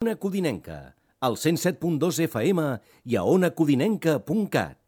Ona Codinenca, al 107.2 FM i a onacodinenca.cat.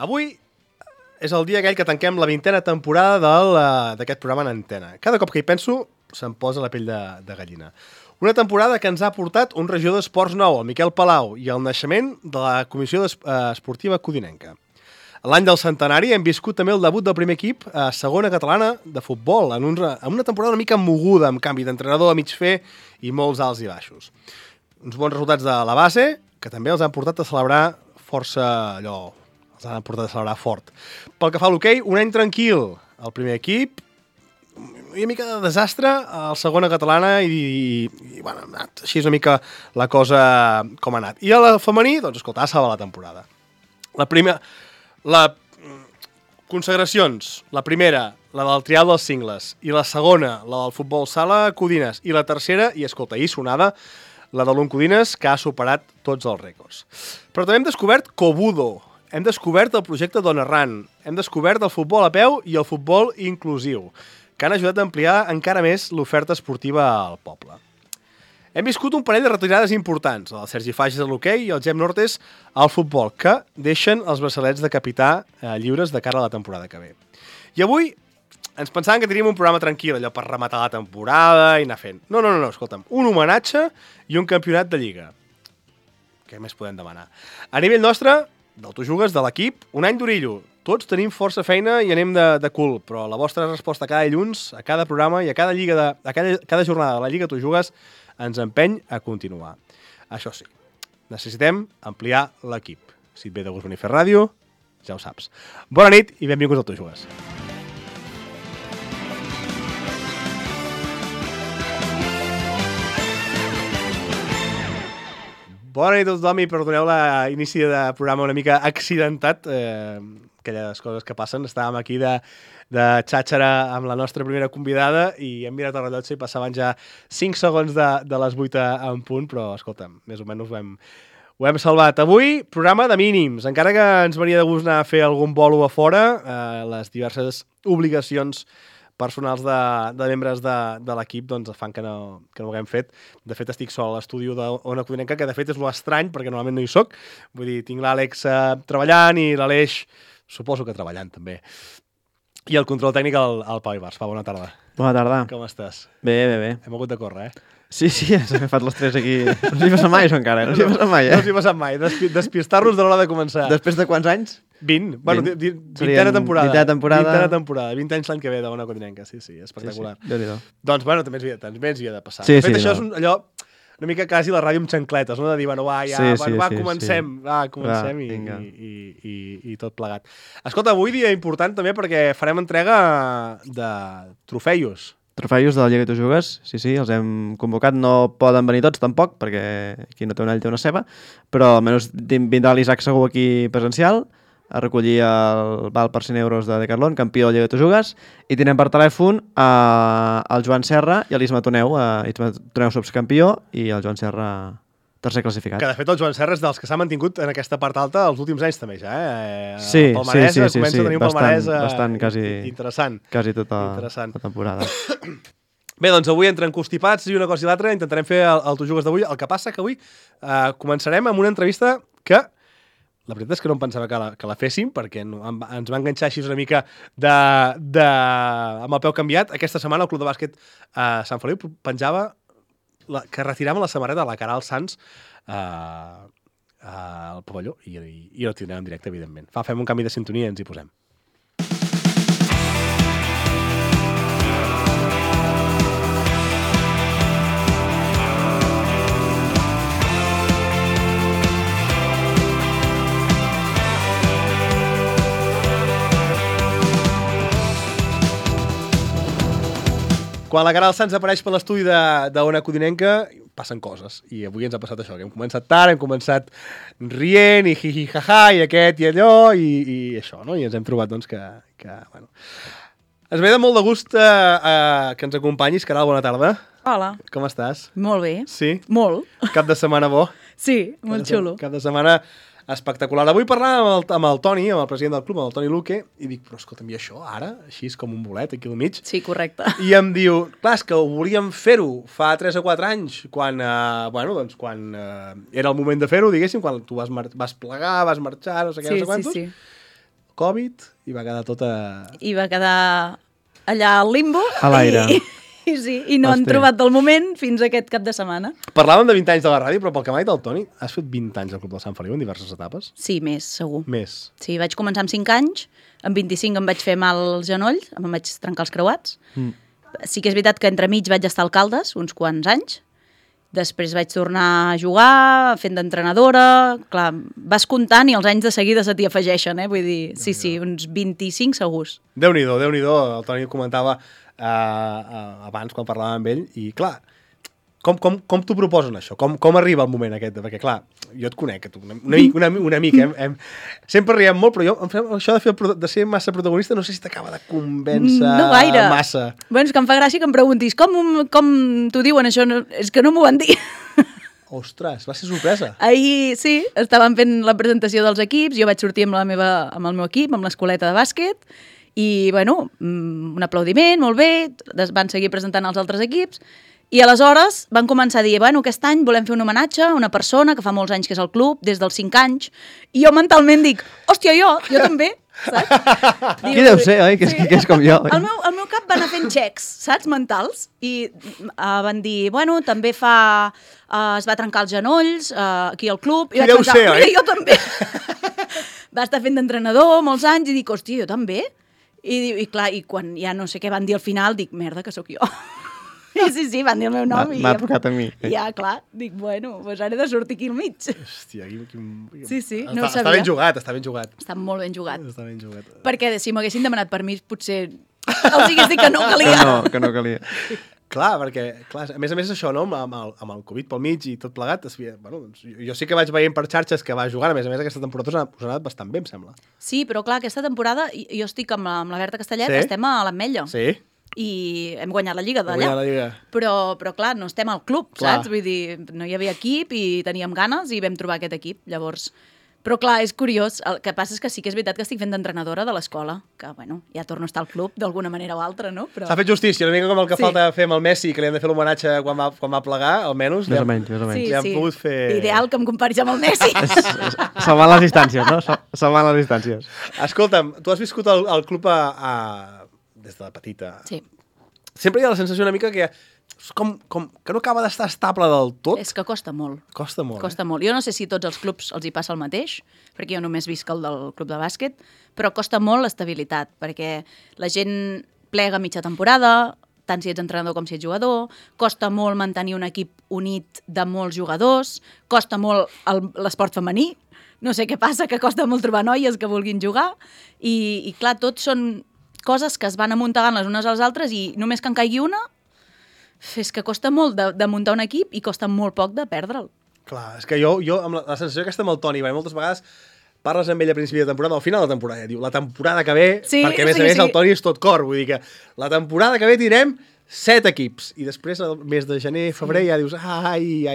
Avui és el dia aquell que tanquem la 20a temporada d'aquest programa en antena. Cada cop que hi penso se'm posa la pell de gallina. Una temporada que ens ha portat un regidor d'esports nou, el Miquel Palau, i el naixement de la Comissió Esportiva Codinenca. L'any del centenari hem viscut també el debut del primer equip a segona catalana de futbol, en una temporada una mica moguda, amb canvi d'entrenador a mig fer i molts alts i baixos. Uns bons resultats de la base, que també els han portat a celebrar força allò... els han portat a celebrar fort. Pel que fa a l'hoquei, un any tranquil. El primer equip, una mica de desastre, el segona catalana i bueno, així és una mica la cosa com ha anat. I a la femení, doncs, escolta, ha salvat la temporada. Consagracions. La primera, la del trial dels cingles. I la segona, la del futbol sala Codines. I la tercera, i escolta, ahir sonada, la de l'Oncodines, que ha superat tots els rècords. Però també hem descobert Cobudo. Hem descobert el projecte Dona Ran, hem descobert el futbol a peu i el futbol inclusiu, que han ajudat a ampliar encara més l'oferta esportiva al poble. Hem viscut un parell de retirades importants, el Sergi Fages a l'hoquei i el Gem Nortes al futbol, que deixen els braçalets de capità lliures de cara a la temporada que ve. I avui ens pensàvem que teníem un programa tranquil, allò per rematar la temporada i anar fent. No, escolta'm, un homenatge i un campionat de lliga. Què més podem demanar? A nivell nostre, del Tu Jugues, de l'equip, un any d'orillo. Tots tenim força feina i anem de cul, però la vostra resposta cada dilluns, a cada programa i a cada jornada de la Lliga Tu Jugues ens empeny a continuar. Això sí, necessitem ampliar l'equip. Si et ve de gust venir a fer ràdio, ja ho saps. Bona nit i benvinguts al Tu Jugues. Bona nit a tothom i perdoneu l'inici de programa una mica accidentat, aquelles coses que passen. Estàvem aquí de xàxera amb la nostra primera convidada i hem mirat el rellotge i passaven ja 5 segons de les 8 en punt, però escolta'm, més o menys ho hem salvat. Avui, programa de mínims. Encara que ens venia de gust anar a fer algun bolo a fora, les diverses obligacions personals de membres de l'equip doncs fan que no ho haguem fet. De fet, estic sol a l'estudi d'Ona Codinenca, que de fet és molt estrany, perquè normalment no hi soc. Vull dir, tinc l'Àlex treballant i l'Aleix, suposo que treballant també. I el control tècnic al Pau Ibars. Pau, bona tarda. Bona tarda. Com estàs? Bé. Hem hagut de córrer, Sí, ens hem agafat les 3 aquí. No us hi passa mai, això encara. No us hi passa mai, No us hi passa mai. Despistar-nos de l'hora de començar. Després de quants anys? 20. Bueno, 20a temporada. 20a temporada. 20 anys l'any que ve d'Ona Codinenca. Sí, espectacular. Sí. Déu-n'hi-do. Doncs, bueno, també ens havia de passar. Sí, de fet, això és allò una mica quasi la ràdio amb xancletes, no? De dir, bueno, comencem i tot plegat. Escolta, avui dia important també perquè farem entrega de trofeus. Trofeus de la Lliga Tu Jugues, sí, els hem convocat. No poden venir tots, tampoc, perquè qui no té un all té una ceba, però almenys vindrà l'Isaac Segur aquí presencial a recollir el val per 100 euros de Decathlon, campió de la Lliga Tu Jugues, i tenen per telèfon el Joan Serra i l'Isma Toneu. Isma Toneu subcampió i el Joan Serra tercer classificat. Que de fet el Joan Serra és dels que s'ha mantingut en aquesta part alta els últims anys també ja, Sí. El palmarès comença a tenir un palmarès bastant, quasi, interessant. Quasi tota la temporada. Bé, doncs avui entre encostipats i una cosa i l'altra intentarem fer el Tu Jugues d'avui. El que passa que avui començarem amb una entrevista que la veritat és que no em pensava que la féssim, perquè ens va enganxar així una mica amb el peu canviat. Aquesta setmana el Club de Bàsquet Sant Feliu penjava que retiràvem la samarreta de la Caral Sans al pavelló i no tindrem en directe, evidentment. Fem un canvi de sintonia i ens hi posem. Quan la Caral Sanz apareix per l'estudi d'Ona Codinenca, passen coses. I avui ens ha passat això, que hem començat tard, hem començat rient, i hi ha i aquest i allò, i això, no? I ens hem trobat, doncs, que bueno... Ens ve de molt de gust que ens acompanyis. Caral, bona tarda. Hola. Com estàs? Molt bé. Sí? Molt. Cap de setmana bo? Sí, molt xulo. Cap de setmana espectacular. Avui parlàvem amb el Toni, amb el president del club, amb el Toni Luque, i dic, però escolta'm, i això ara? Així és com un bolet aquí al mig? Sí, correcte. I em diu, clar, és que ho volíem fer-ho fa 3 o 4 anys, quan, quan era el moment de fer-ho, diguéssim, quan tu vas plegar, vas marxar, no sé què, no sé quantos. Sí. Covid, i va quedar tota... I va quedar allà al limbo. A l'aire. I no han trobat el moment fins aquest cap de setmana. Parlàvem de 20 anys de la ràdio, però pel que m'ha dit el Toni, has fet 20 anys al Club del Sant Feliu en diverses etapes? Sí, més, segur. Més. Sí, vaig començar amb 5 anys, amb 25 em vaig fer mal al genoll, em vaig trencar els creuats. Sí que és veritat que entremig vaig estar a Caldes uns quants anys, després vaig tornar a jugar, fent d'entrenadora, clar, vas comptant i els anys de seguida se t'hi afegeixen, vull dir, sí, uns 25 segurs. Déu-n'hi-do, el Toni ho comentava abans quan parlàvem amb ell, i clar, com t'ho proposen això? Com arriba el moment aquest? Perquè clar, jo et conec, una mica, sempre riem molt, però jo això de ser massa protagonista no sé si t'acaba de convèncer no gaire. Massa. Bueno, és que em fa gràcia que em preguntis com t'ho diuen això, és que no m'ho van dir. Ostres, va ser sorpresa. Ahir, sí, estàvem fent la presentació dels equips, jo vaig sortir amb el meu equip, amb l'escoleta de bàsquet, i, bueno, un aplaudiment, molt bé, van seguir presentant els altres equips, i aleshores van començar a dir, bueno, aquest any volem fer un homenatge a una persona que fa molts anys que és al club, des dels 5 anys, i jo mentalment dic, hòstia, jo també, saps? Qui deu ser, oi? Que és com jo. El meu cap va anar fent xecs, saps, mentals, i van dir, bueno, també es va trencar els genolls aquí al club, i vaig pensar, mira, jo també. Va estar fent d'entrenador molts anys, i dic, hòstia, jo també. I clar, i quan ja no sé què van dir al final, dic, merda, que sóc jo. I sí, van dir el meu nom. M'ha tocat a mi. Ja, clar, dic, bueno, doncs ara he de sortir aquí al mig. Hòstia, Sí, no ho sabia. Està ben jugat. Està molt ben jugat. Està ben jugat. Perquè si m'haguessin demanat permís, potser els hagués dit que no calia. Que no calia. Clar, perquè, a més això, no? Amb el Covid pel mig i tot plegat, bueno, doncs, jo sí que vaig veient per xarxes que va jugant, a més aquesta temporada us ha anat bastant bé, em sembla. Sí, però clar, aquesta temporada jo estic amb la Berta Castellet, estem a l'Ametlla. Sí. I hem guanyat la Lliga d'allà. Però clar, no estem al club, saps? Vull dir, no hi havia equip i teníem ganes i vam trobar aquest equip, llavors... Però clar, és curiós, el que passa és que sí que és veritat que estic fent d'entrenadora de l'escola, que bueno, ja torno a estar al club d'alguna manera o altra, no? Però... S'ha fet justícia, una mica com el que falta fer amb el Messi, que li han de fer l'homenatge quan va plegar, almenys. Més o menys. Li han pogut fer... Ideal que em comparis amb el Messi. Salvant les distàncies, no? Salvant les distàncies. Escolta'm, tu has viscut el club des de petita. Sí. Sempre hi ha la sensació una mica que que no acaba d'estar estable del tot. És que costa molt. Costa molt. Jo no sé si tots els clubs els hi passa el mateix, perquè jo només visc el del club de bàsquet, però costa molt l'estabilitat, perquè la gent plega mitja temporada, tant si ets entrenador com si ets jugador, costa molt mantenir un equip unit de molts jugadors, costa molt l'esport femení, no sé què passa, que costa molt trobar noies que vulguin jugar, i clar, tot són coses que es van amuntegant les unes a les altres i només que en caigui una, és que costa molt de muntar un equip i costa molt poc de perdre'l. Clar, és que jo amb la sensació aquesta amb el Toni, moltes vegades parles amb ell a principi de temporada, al final de temporada, diu, la temporada que ve, perquè a més el Toni és tot cor, vull dir que la temporada que ve tindrem 7 equips, i després al mes de gener, febrer, ja dius, ai,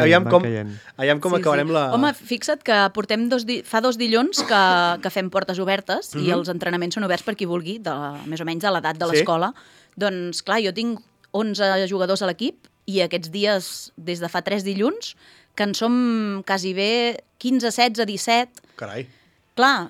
aviam com acabarem la... Home, fixa't que portem fa 2 dilluns que fem portes obertes i els entrenaments són oberts per qui vulgui, més o menys de l'edat de l'escola. Doncs clar, jo tinc 11 jugadors a l'equip i aquests dies, des de fa 3 dilluns, que en som quasi bé 15, 16, 17... Carai. Clar,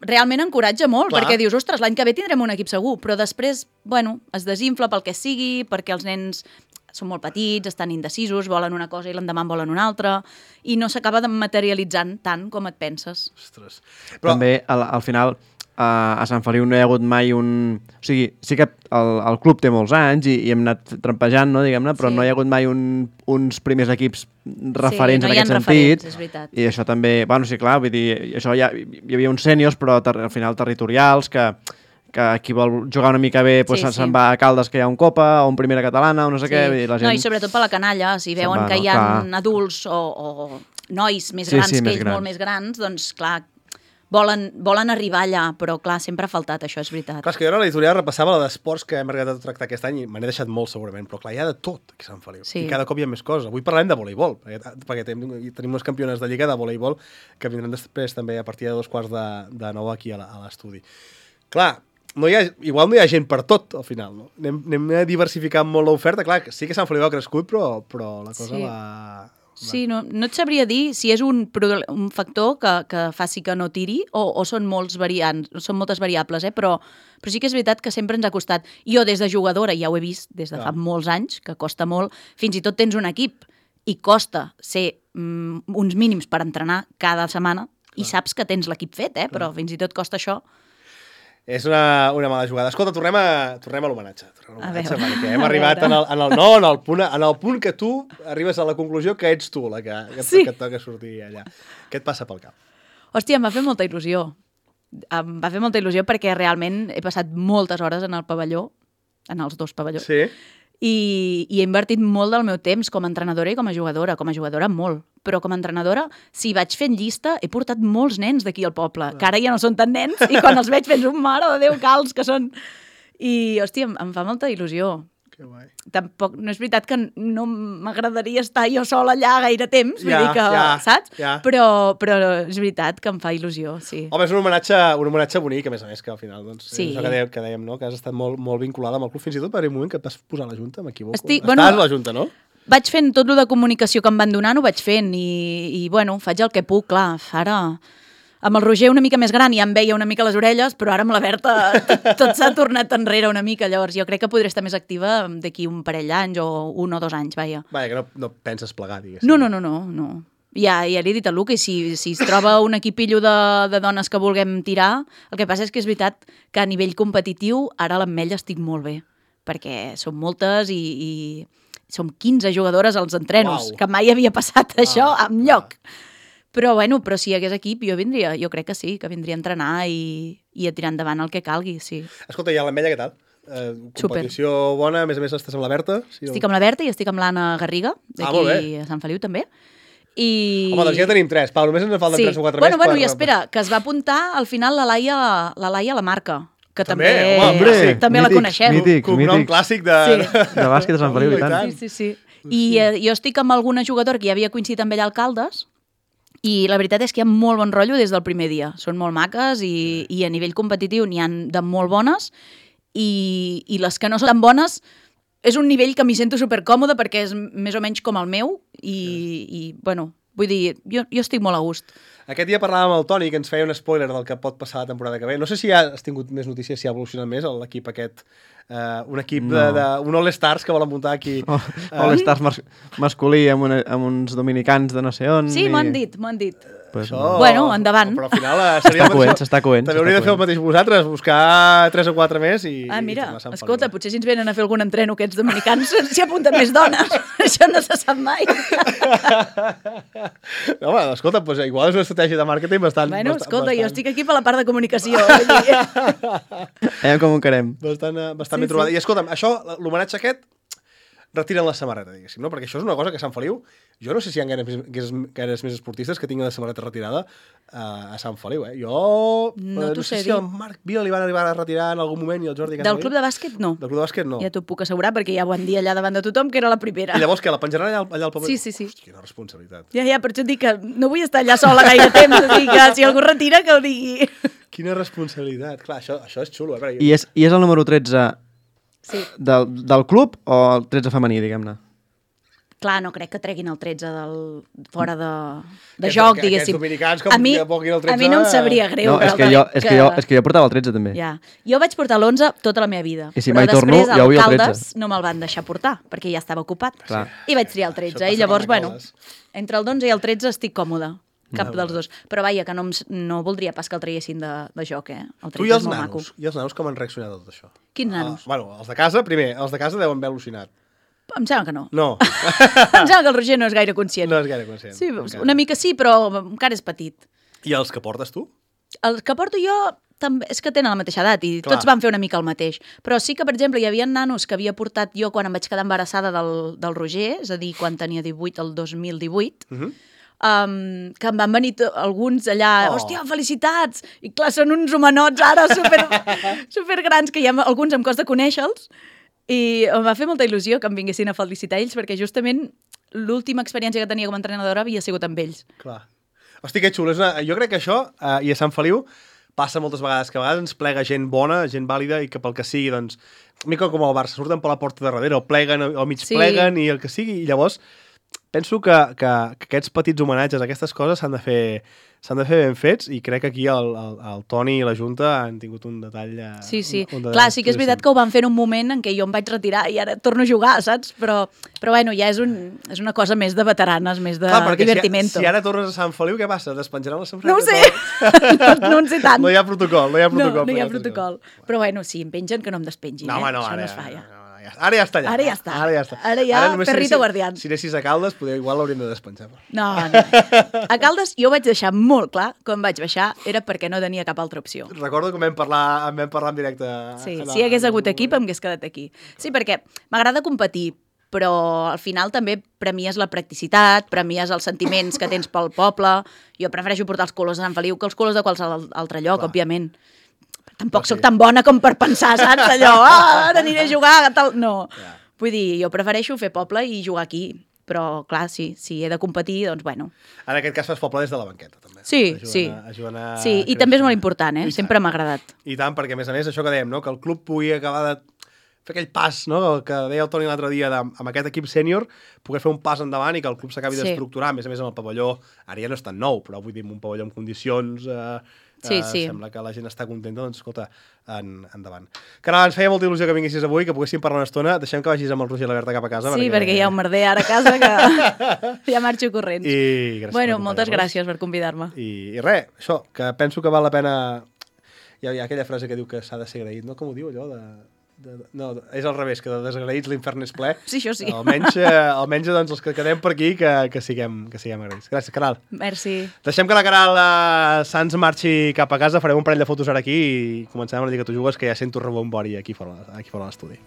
realment encoratja molt, perquè dius, ostres, l'any que ve tindrem un equip segur, però després, bueno, es desinfla pel que sigui, perquè els nens són molt petits, estan indecisos, volen una cosa i l'endemà en volen una altra, i no s'acaba materialitzant tant com et penses. Ostres. Però... També, al final... a Sant Feliu no hi ha hagut mai un... O sigui, sí que el club té molts anys i hem anat trampejant, no, diguem-ne, però no hi ha hagut mai uns primers equips referents en aquest sentit. És veritat. I això també... Bueno, sí, clar, vull dir, això hi havia uns sèniors, però al final territorials, que que qui vol jugar una mica bé doncs se'n va a Caldes, que hi ha un Copa, o un Primera Catalana, o no sé què. I la gent... No, i sobretot per la canalla, si veuen que hi ha adults o nois més grans que ells, molt més grans, doncs clar, volen arribar allà, però clar, sempre ha faltat, això és veritat. Clar, és que jo a l'editorial repassava la d'esports que hem arribat a tractar aquest any i me n'he deixat molt segurament, però clar, hi ha de tot aquí a Sant Feliu. I cada cop hi ha més coses. Avui parlem de voleibol, perquè tenim unes campiones de lliga de voleibol que vindran després també a partir de 2:15 aquí a l'estudi. Clar, igual no hi ha gent per tot, al final, no? Anem diversificant molt l'oferta. Clar, sí que Sant Feliu ha crescut, però la cosa va... Sí, no et sabria dir si és un factor que faci que no tiri o són moltes variables, però sí que és veritat que sempre ens ha costat. Jo, des de jugadora, ja ho he vist des de fa molts anys, que costa molt. Fins i tot tens un equip i costa ser uns mínims per entrenar cada setmana i saps que tens l'equip fet, però fins i tot costa això. És una mala jugada. Escolta, tornem a l'homenatge. Perquè hem arribat en el punt que tu arribes a la conclusió que ets tu la que et toca sortir allà. Què et passa pel cap? Hòstia, em va fer molta il·lusió. Em va fer molta il·lusió perquè realment he passat moltes hores en el pavelló, en els dos pavellons. Sí. I he invertit molt del meu temps com a entrenadora i com a jugadora. Com a jugadora, molt. Però com a entrenadora, si vaig fent llista, he portat molts nens d'aquí al poble, que ara ja no són tan nens, i quan els veig fent un mare de Déu calç que són... I, hòstia, em fa molta il·lusió. Que guai. Tampoc, no és veritat que no m'agradaria estar jo sola allà gaire temps, vull dir que, saps? Però és veritat que em fa il·lusió, sí. Home, és un homenatge bonic, a més, que al final, doncs, és això que dèiem, no? Que has estat molt vinculada amb el club, fins i tot per un moment que et vas posar a la Junta, m'equivoco. Estàs a la Junta, no? Vaig fent tot el de comunicació que em van donant, ho vaig fent i bueno, faig el que puc, clar. Ara, amb el Roger una mica més gran ja em veia una mica les orelles, però ara amb la Berta tot s'ha tornat enrere una mica. Llavors jo crec que podré estar més activa d'aquí un parell d'anys o 1 o 2 anys, vaja. Vaja, que no penses plegar, diguéssim. No. Ja li he dit a Luca, i si es troba un equipillo de dones que vulguem tirar, el que passa és que és veritat que a nivell competitiu ara a l'Ametlla estic molt bé, perquè som moltes i som 15 jugadores als entrenos, que mai havia passat això enlloc. Però si hi hagués equip, jo crec que sí, que vindria a entrenar i a tirar endavant el que calgui, sí. Escolta, i a l'Ametlla què tal? Competició bona, a més estàs amb la Berta? Estic amb la Berta i estic amb l'Anna Garriga, d'aquí a Sant Feliu també. Home, doncs ja tenim 3, Pau, només ens en falten 3 o 4 més. Bueno, i espera, que es va apuntar al final la Laia a la Marca, que també la coneixem. Cognom clàssic de bàsquet de Sant Feliu i tant. Sí. I jo estic amb alguna jugadora que ja havia coincidit amb ella a Caldes i la veritat és que hi ha molt bon rotllo des del primer dia. Són molt maques i a nivell competitiu n'hi ha de molt bones i les que no són tan bones és un nivell que m'hi sento supercòmode perquè és més o menys com el meu i bueno, vull dir, jo estic molt a gust. Aquest dia parlàvem amb el Toni, que ens feia un spoiler del que pot passar la temporada que ve. No sé si has tingut més notícies, si ha evolucionat més l'equip aquest. Un equip d'un All-Stars que volen muntar aquí. All-Stars masculí amb uns dominicans de no sé on. Sí, m'ho han dit. Bueno, endavant. Però al final seria s'està coent. També hauria de fer el mateix vosaltres, buscar 3 o 4 més i... mira, escolta, potser si ens venen a fer algun entreno aquests dominicans s'hi apunten més dones. Això no se sap mai. No, home, escolta, igual és una estratègia de màrqueting bastant... Bueno, escolta, jo estic aquí per la part de comunicació. Veiem com ho encarem. Bastant ben trobada. I escolta'm, això, l'homenatge aquest, retiren la samarreta, diguéssim, no? Perquè això és una cosa que a Sant Feliu, jo no sé si hi ha gaires més esportistes que tinguin la samarreta retirada a Sant Feliu, No t'ho sé si el Marc Vila li van arribar a retirar en algun moment i el Jordi Casabell. Del club de bàsquet, no. Del club de bàsquet, no. Ja t'ho puc assegurar, perquè ja ho van dir allà davant de tothom, que era la primera. I llavors què, la penjaran allà al pavelló? Sí. Hosti, quina responsabilitat. Ja, per això et dic que no vull estar allà sola gaire temps, o sigui que si algú retira, que ho digui. Quina responsabilitat. Clar, això és xulo. I és el número 13 del club o el 13 femení, diguem-ne? Clar, no crec que treguin el 13 fora de joc, diguéssim. Aquests dominicans com que poquin el 13... A mi no em sabria greu. No, és que jo portava el 13 també. Ja. Jo vaig portar l'11 tota la meva vida. I si mai torno, ja ho havia el 13. Caldes no me'l van deixar portar, perquè ja estava ocupat. Clar. I vaig triar el 13. I llavors, entre el 11 i el 13 estic còmode. Cap dels dos. Però vaja, que no voldria pas que el traiessin de joc, El 13 és molt maco. I els nanos com han reaccionat a tot això? Quins nanos? Bueno, els de casa, primer, els de casa deuen haver al·lucinat. Em sembla que no. No. Em sembla que el Roger no és gaire conscient. No és gaire conscient. Sí, una mica sí, però encara és petit. I els que portes tu? Els que porto jo també, és que tenen la mateixa edat i Clar. tots van fer una mica el mateix. Però sí que, per exemple, hi havia nanos que havia portat jo quan em vaig quedar embarassada del Roger, és a dir, quan tenia 18, el 2018, que em van venir alguns allà, hòstia, felicitats! I clar, són uns homenots ara super grans, que ja alguns em costa conèixer-los, i em va fer molta il·lusió que em vinguessin a felicitar ells, perquè justament l'última experiència que tenia com a entrenadora havia sigut amb ells. Clar. Hosti, que xulo. Jo crec que això, i a Sant Feliu, passa moltes vegades, que a vegades ens plega gent bona, gent vàlida, i que pel que sigui, doncs, mica com el Barça, surten per la porta de darrere, o pleguen, o mig pleguen, i el que sigui, i llavors penso que aquests petits homenatges, aquestes coses s'han de fer ben fets, i crec que aquí el Toni i la Junta han tingut un detall... Sí. Clar, sí que és veritat que ho van fer en un moment en què jo em vaig retirar i ara torno a jugar, saps? Però bueno, ja és una cosa més de veteranes, més de divertimento. Si ara tornes a Sant Feliu, què passa? Despenjaran la samarreta? No ho sé, no en sé tant. No hi ha protocol. No hi ha protocol. Però bueno, si em pengen, que no em despengin. No, això ara, no es fa, ja. Ara ja està allà. Ara ja, perrito guardián. Si anessis a Caldes, igual l'hauríem de despenjar. No. A Caldes jo vaig deixar molt clar, quan vaig baixar, era perquè no tenia cap altra opció. Recordo que vam parlar en directe. Sí, si hi hagués hagut equip, em hagués quedat aquí. Sí, perquè m'agrada competir, però al final també premies la practicitat, premies els sentiments que tens pel poble. Jo prefereixo portar els colors de Sant Feliu que els colors de qualsevol altre lloc, òbviament. Tampoc sóc tan bona com per pensar, saps? Allò, ara aniré a jugar, tal... No. Vull dir, jo prefereixo fer poble i jugar aquí. Però, clar, si he de competir, doncs, bueno. En aquest cas fas poble des de la banqueta, també. Sí. Sí, i també és molt important, Sempre m'ha agradat. I tant, perquè, a més, això que dèiem, no? Que el club pugui acabar de fer aquell pas, no? Que deia el Toni l'altre dia, amb aquest equip sènior, poder fer un pas endavant i que el club s'acabi d'estructurar, a més amb el pavelló, ara ja no és tan nou, però vull dir, un pavelló amb condicions... Sí. Sembla que la gent està contenta, doncs, escolta, endavant. Caral, ens feia molta il·lusió que vinguessis avui, que poguéssim parlar una estona. Deixem que vagis amb el Roger i la Berta cap a casa. Sí, perquè hi ha un merder ara a casa que ja marxo corrents. Bueno, moltes gràcies per convidar-me. I res, això, que penso que val la pena... Hi ha aquella frase que diu que s'ha de ser agraït, no? Com ho diu, allò no, és al revés, que de desgraïts l'infern és ple. Sí, això sí. Almenys doncs, els que quedem per aquí, que siguem agraïts. Gràcies, Caral. Merci. Deixem que la Caral Sans marxi cap a casa, farem un parell de fotos ara aquí i comencem amb la Lliga Tu Jugues, que ja sento rebombori aquí fora de l'estudi.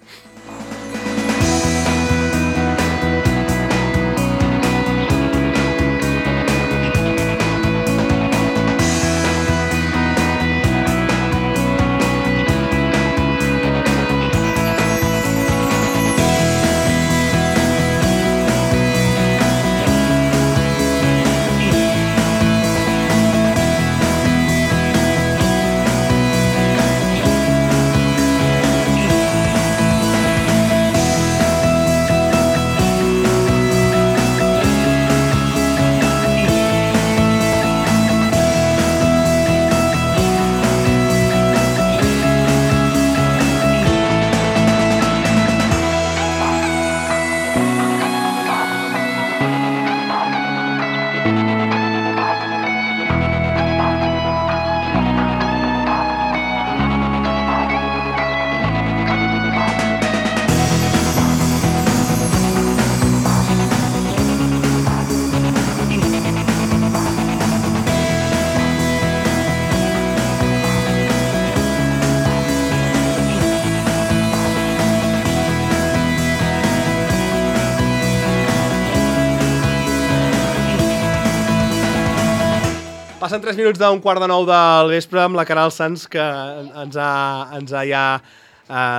Passen 3 minuts d'un 8:45 del vespre amb la Caral Sans, que ens ha ja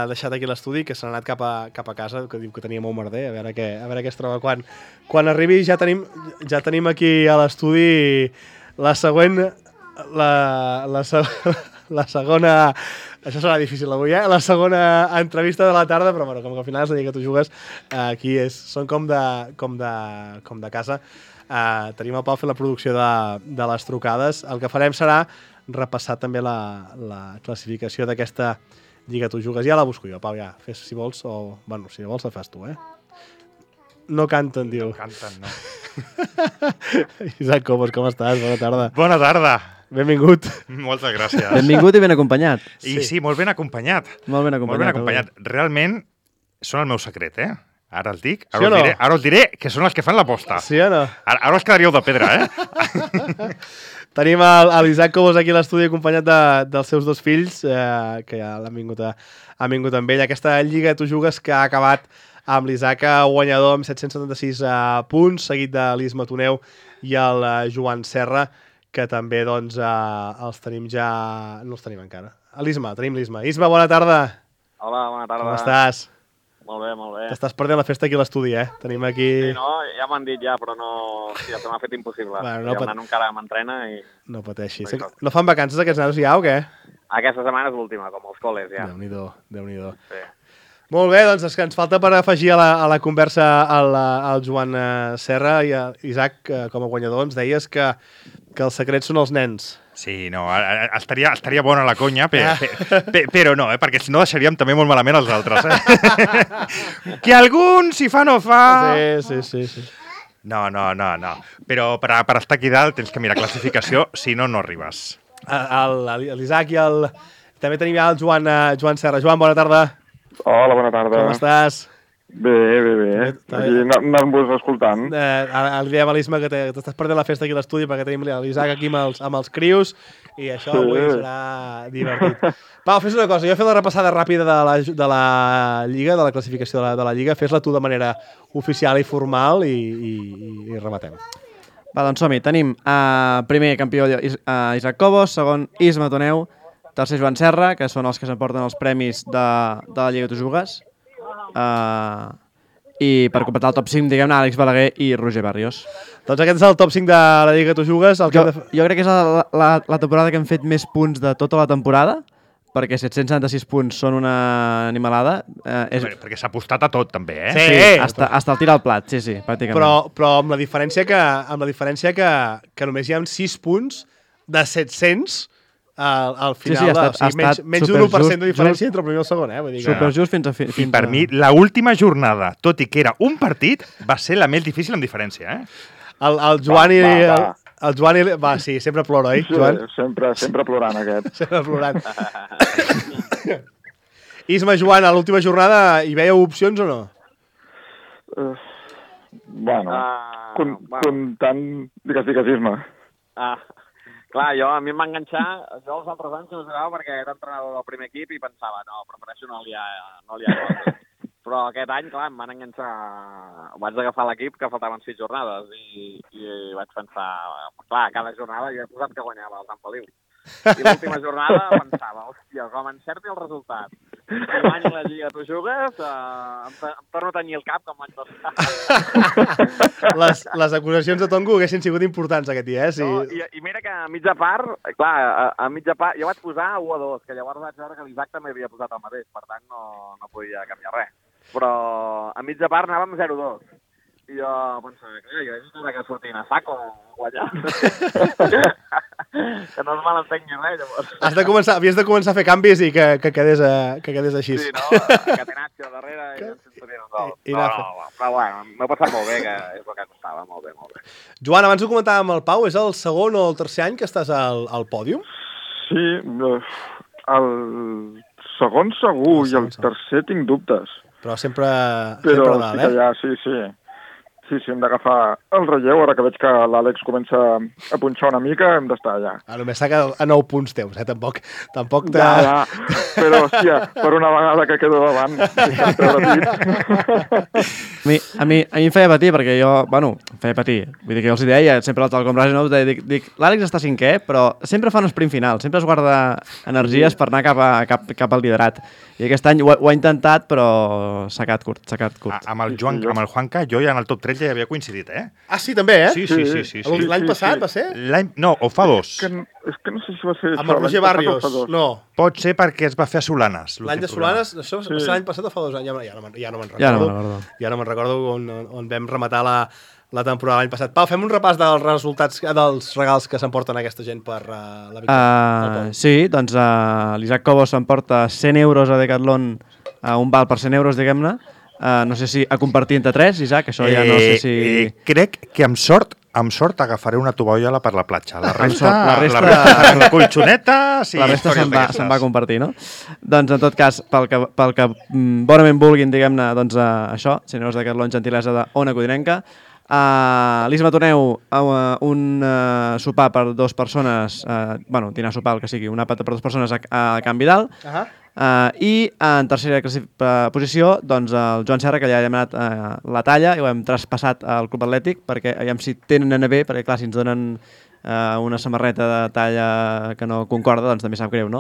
deixat aquí l'estudi, que s'ha anat cap a casa, que diu que tenia molt merder, a veure què es troba quan arribi. Ja tenim aquí a l'estudi la següent... La segona... Això serà difícil avui, La segona entrevista de la tarda, però bueno, com que al final és la Lliga Tu Jugues, aquí són com de casa. Tenim el Pau fent la producció de les trucades. El que farem serà repassar també la classificació d'aquesta Lliga Tu Jugues. Ja la busco jo, Pau, ja. Fes si vols, o... Bueno, si vols la fas tu, No canten, diu. No canten, no. Isaac Cobos, com estàs? Bona tarda. Bona tarda. Benvingut. Moltes gràcies. Benvingut i ben acompanyat. I sí, molt ben acompanyat. Molt ben acompanyat. Realment són el meu secret, Ara els dic, ara us diré que són els que fan l'aposta. Sí o no? Ara us quedaríeu de pedra, Tenim l'Isaac Cobos aquí a l'estudi acompanyat dels seus dos fills, que ja han vingut amb ell. Aquesta lliga tu jugues que ha acabat amb l'Isaac guanyador amb 776 punts, seguit de l'Isma Toneu i el Joan Serra, que també doncs, els tenim ja... No els tenim encara. Tenim l'Isma. Isma, bona tarda. Hola, bona tarda. Com estàs? Molt bé, molt bé. T'estàs perdent la festa aquí a l'estudi, Tenim aquí... Sí, no, ja m'han dit ja, però no... Sí, se m'ha fet impossible. Bueno, el nano encara m'entrena i... No pateixis. No fan vacances aquests nanos ja o què? Aquesta setmana és l'última, com els col·les, ja. Déu-n'hi-do. Sí. Molt bé, doncs és que ens falta per afegir a la conversa al Joan Serra i a Isaac, com a guanyador, ens deies que els secrets són els nens. Sí, no, estaria bona la conya, però no, perquè si no deixaríem també molt malament els altres. Que algun, si fa, no fa... Sí. No. Però per estar aquí dalt tens que mirar classificació, si no, no arribes. L'Isaac i el... També tenim ja el Joan Serra. Joan, bona tarda. Hola, bona tarda. Com estàs? Bé. Aquí anant-vos escoltant. Ara li dèiem a l'Isma que t'estàs perdent la festa aquí a l'estudi perquè tenim l'Isaac aquí amb els crios i això avui serà divertit. Pau, fes una cosa, jo he fet la repassada ràpida de la Lliga, de la classificació de la Lliga, fes-la tu de manera oficial i formal i rematem. Va, doncs som-hi. Tenim primer campió Isaac Cobos, segon Isma Toneu, tercer Joan Serra, que són els que s'emporten els premis de la Lliga Tu Jugues, i per completar el top 5, diguem-ne, Àlex Balaguer i Roger Barrios. Doncs aquest és el top 5 de la Lliga Tu Jugues. Jo crec que és la temporada que hem fet més punts de tota la temporada, perquè 776 punts són una animalada. Perquè s'ha apostat a tot, també, Sí, hasta el tir al plat, sí, pràcticament. Però amb la diferència que només hi ha 6 punts de 700 al final, menys d'un 1% de diferència entre el primer i el segon. Vull dir que... Superjust fins a... I per mi, l'última jornada, tot i que era un partit, va ser la més difícil en diferència. El Joan i... El Joan i... Va, sí, sempre plora, oi, Joan? Sí, sempre plorant, aquest. Sempre plorant. Isma, Joan, a l'última jornada hi veieu opcions o no? Bueno, comptant... Digues, Isma. Clar, a mi em va enganxar, jo els altres anys no jugava perquè era entrenador del primer equip i pensava, no, prefereixo no liar. Però aquest any, clar, em van enganxar, vaig agafar l'equip que faltaven 6 jornades i vaig pensar, clar, cada jornada jo he posat que guanyava el Sant Feliu. I l'última jornada pensava, hòstia, com encerti el resultat i guanyi la Lliga Tu Jugues, em torno a tenyir el cap com l'any passat. Les acusacions de Tongo haguessin sigut importants aquest dia, Sí. No, I mira que a mitja part, jo vaig posar 1-2, que llavors vaig veure que l'Isaac també havia posat el mateix, per tant no podia canviar res. Però a mitja part anàvem 0-2. I jo pensava, jo he vist que sortint a saco a guanyar. Que no es malentengui res, llavors. Havies de començar a fer canvis i que quedés així. Sí, no? Catenaccio darrere i ens sortien un gol. Però bueno, m'ha passat molt bé, que és el que costava, molt bé. Joan, abans ho comentàvem amb el Pau, és el segon o el tercer any que estàs al pòdium? Sí, el segon segur i el tercer tinc dubtes. Però sempre dalt, sí, hem d'agafar el relleu, ara que veig que l'Àlex comença a punxar una mica, hem d'estar allà. Només s'ha quedat a 9 punts teus, tampoc Ja, però hòstia, per una vegada que quedo davant, a mi em feia patir, perquè jo, vull dir que jo els deia, sempre al Talcom Ràdio, no? Dic, l'Àlex està cinquè, però sempre fa un sprint final, sempre es guarda energies per anar cap al liderat. I aquest any ho ha intentat, però s'ha quedat curt. Amb el Juanca, jo ja en el top 3 ja hi havia coincidit, Ah, sí, també, Sí. L'any passat va ser? No, o fa 2. És que no sé si va ser... Amb el Roger Barrios, no. Pot ser perquè es va fer a Solanes. L'any de Solanes, això va ser l'any passat o fa 2 anys? Ja no me'n recordo. Ja no me'n recordo on vam rematar la temporada l'any passat. Pau, fem un repàs dels resultats, dels regals que s'emporten aquesta gent per la victòria. Sí, doncs l'Isaac Cobos s'emporta 100 euros a Decathlon, un val per 100 euros, diguem-ne. No sé si a compartir entre 3, Isaac, això ja no sé si... Crec que amb sort agafaré una tovallola per la platja. La resta la colxoneta... Sí, la resta se'n va a compartir, no? Doncs, en tot cas, pel que bonament vulguin, diguem-ne, doncs això, 100 euros de Decathlon, gentilesa d'Ona Codinenca. L'Isma Toneu, un sopar per 2 persones, dinar sopar, el que sigui, un àpat per 2 persones a Can Vidal. I en tercera posició, doncs, el Joan Serra, que ja hem anat la talla i ho hem traspassat al Club Atlètic, perquè aviam si tenen bé, perquè clar, si ens donen una samarreta de talla que no concorda, doncs també sap greu, no?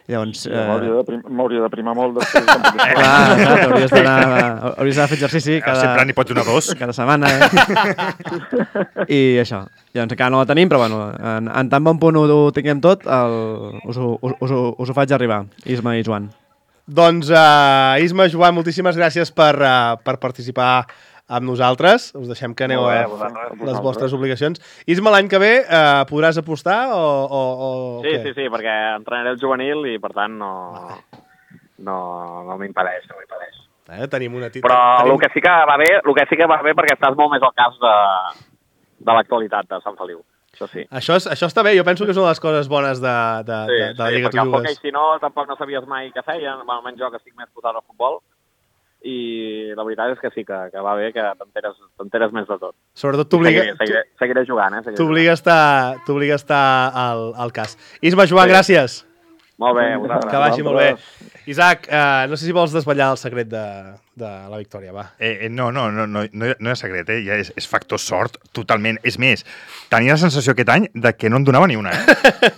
I llavors... M'hauria de primar molt després. Clar, hauries d'anar a fer exercici sempre n'hi pots donar 2. cada setmana, I això. Llavors encara no la tenim, però bueno, en tan bon punt ho tinguem tot, us ho faig arribar, Isma i Joan. Doncs, Isma, Joan, moltíssimes gràcies per participar amb nosaltres. Us deixem que aneu a les vostres obligacions. Isma, l'any que ve podràs apostar o Sí, perquè entrenaré el juvenil i, per tant, no m'impedeix. Tenim una Però el que sí que va bé perquè estàs molt més al cas de l'actualitat de Sant Feliu. Això sí. Això està bé, jo penso que és una de les coses bones de la Lliga Tu Jugues. Si no, tampoc no sabies mai què feien. Almenys jo, que estic més posat al futbol, i la veritat és que sí, que va bé, que t'enteres més de tot. Sobretot t'obliga... Seguiré jugant, T'obliga a estar al cas. Isma, Joan, gràcies. Molt bé, que vagi molt bé. Isaac, no sé si vols desvetllar el secret de la victòria, va. No hi ha secret, ja és factor sort, totalment. És més, tenia la sensació aquest any de que no en donava ni una,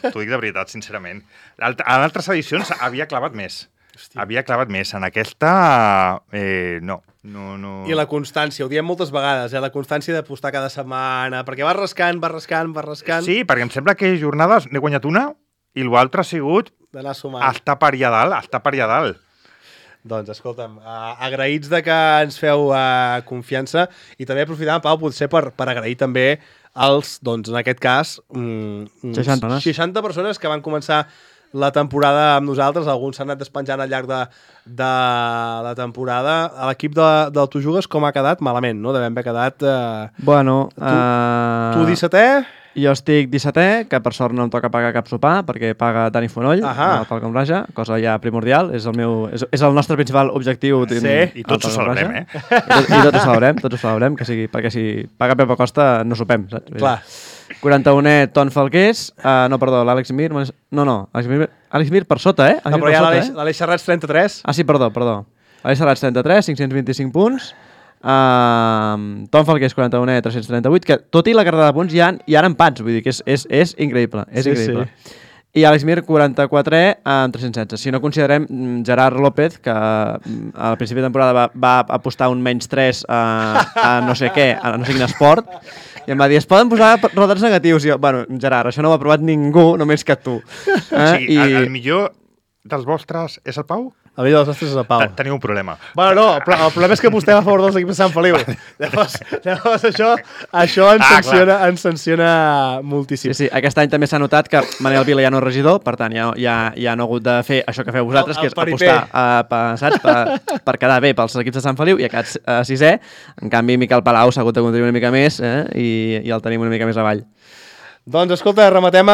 T'ho dic de veritat, sincerament. En altres edicions havia clavat més. En aquesta, no. I la constància, ho diem moltes vegades, la constància d'apostar cada setmana, perquè vas rascant. Sí, perquè em sembla que jornades n'he guanyat una i l'altre ha sigut d'anar sumant. Està per allà dalt. Doncs, escolta'm, agraïts de que ens feu confiança i també aprofitant, Pau, potser per agrair també als, doncs, en aquest cas, 60 persones que van començar la temporada amb nosaltres. Alguns s'han anat despenjant al llarg de la temporada. A l'equip del Tu Jugues com ha quedat? Malament, no? Devem haver quedat... Tu 17è? Jo estic 17è, que per sort no em toca pagar cap sopar, perquè paga Dani Fonoll, pel Combraja, cosa ja primordial. És el nostre principal objectiu. Sí, i tots ho celebrem, I tots ho celebrem, perquè si paga Pepa Costa no sopem, saps? Clar. 41è, Ton Falqués, l'Àlex Mir... Àlex Mir per sota, No, però hi ha l'Aleix Serrats 33. Ah, sí, perdó. Àlex Serrats 33, 525 punts. Ton Falqués 41è, 338, que tot i la carrera de punts hi ha empats, vull dir que és increïble. Sí. I Àlex Mir 44è amb 316. Si no considerem Gerard López, que al principi de temporada va apostar un -3 a no sé què, a no sé quin esport, i em va dir, es poden posar resultats negatius. I jo, Gerard, això no ho ha provat ningú, només que tu. Sí, el millor dels vostres és el Pau? El millor dels nostres és el Pau. Teniu un problema. Bueno, no, però el problema és que apostem a favor dels equips de Sant Feliu. Llavors això ens sanciona moltíssim. Sí, aquest any també s'ha notat que Manel Vila ja no és regidor, per tant ja no ha hagut de fer això que feu vosaltres, que és apostar per quedar bé pels equips de Sant Feliu, i ha quedat 6è. En canvi, Miquel Palau s'ha hagut de contribuir una mica més i el tenim una mica més avall. Doncs escolta, rematem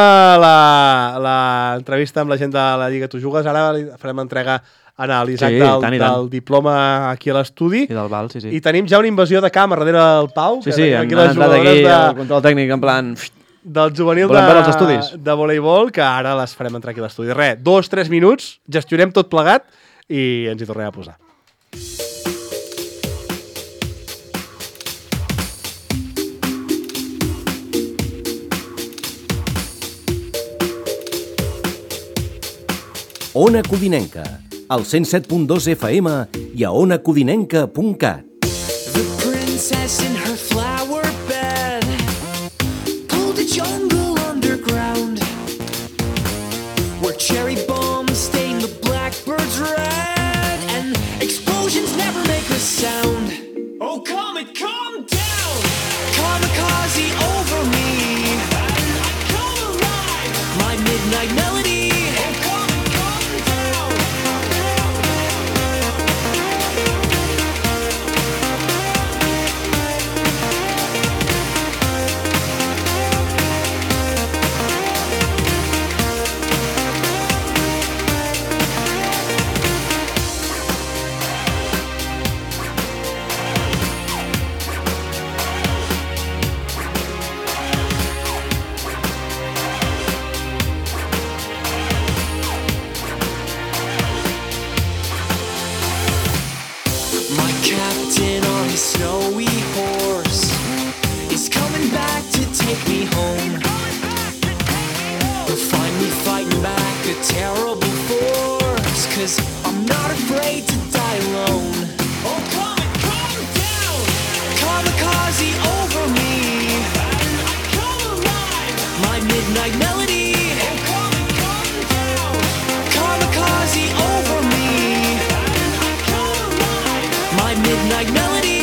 l'entrevista amb la gent de la Lliga Tu Jugues. Ara farem entrega a l'Isaac del diploma aquí a l'estudi. I del Val, sí. I tenim ja una invasió de camp darrere del Pau. Sí, hem entrat aquí al control tècnic en plan... Del juvenil de voleibol, que ara les farem entrar aquí a l'estudi. 2-3 minuts, gestionem tot plegat i ens hi tornem a posar. Ona Codinenca, al 107.2 FM i a onacodinenca.cat. The princess in her flower bed pulled a jungle underground where cherry bombs stain the blackbirds red and explosions never make a sound. Oh, comet, calm down! Kamikaze over me. I come alive. My midnight melody. home. You'll find me fighting back a terrible force, 'cause I'm not afraid to die alone. Oh, come down! Kamikaze over me. I come alive. My midnight melody. Oh, come down! Kamikaze over me. I come alive. My midnight melody.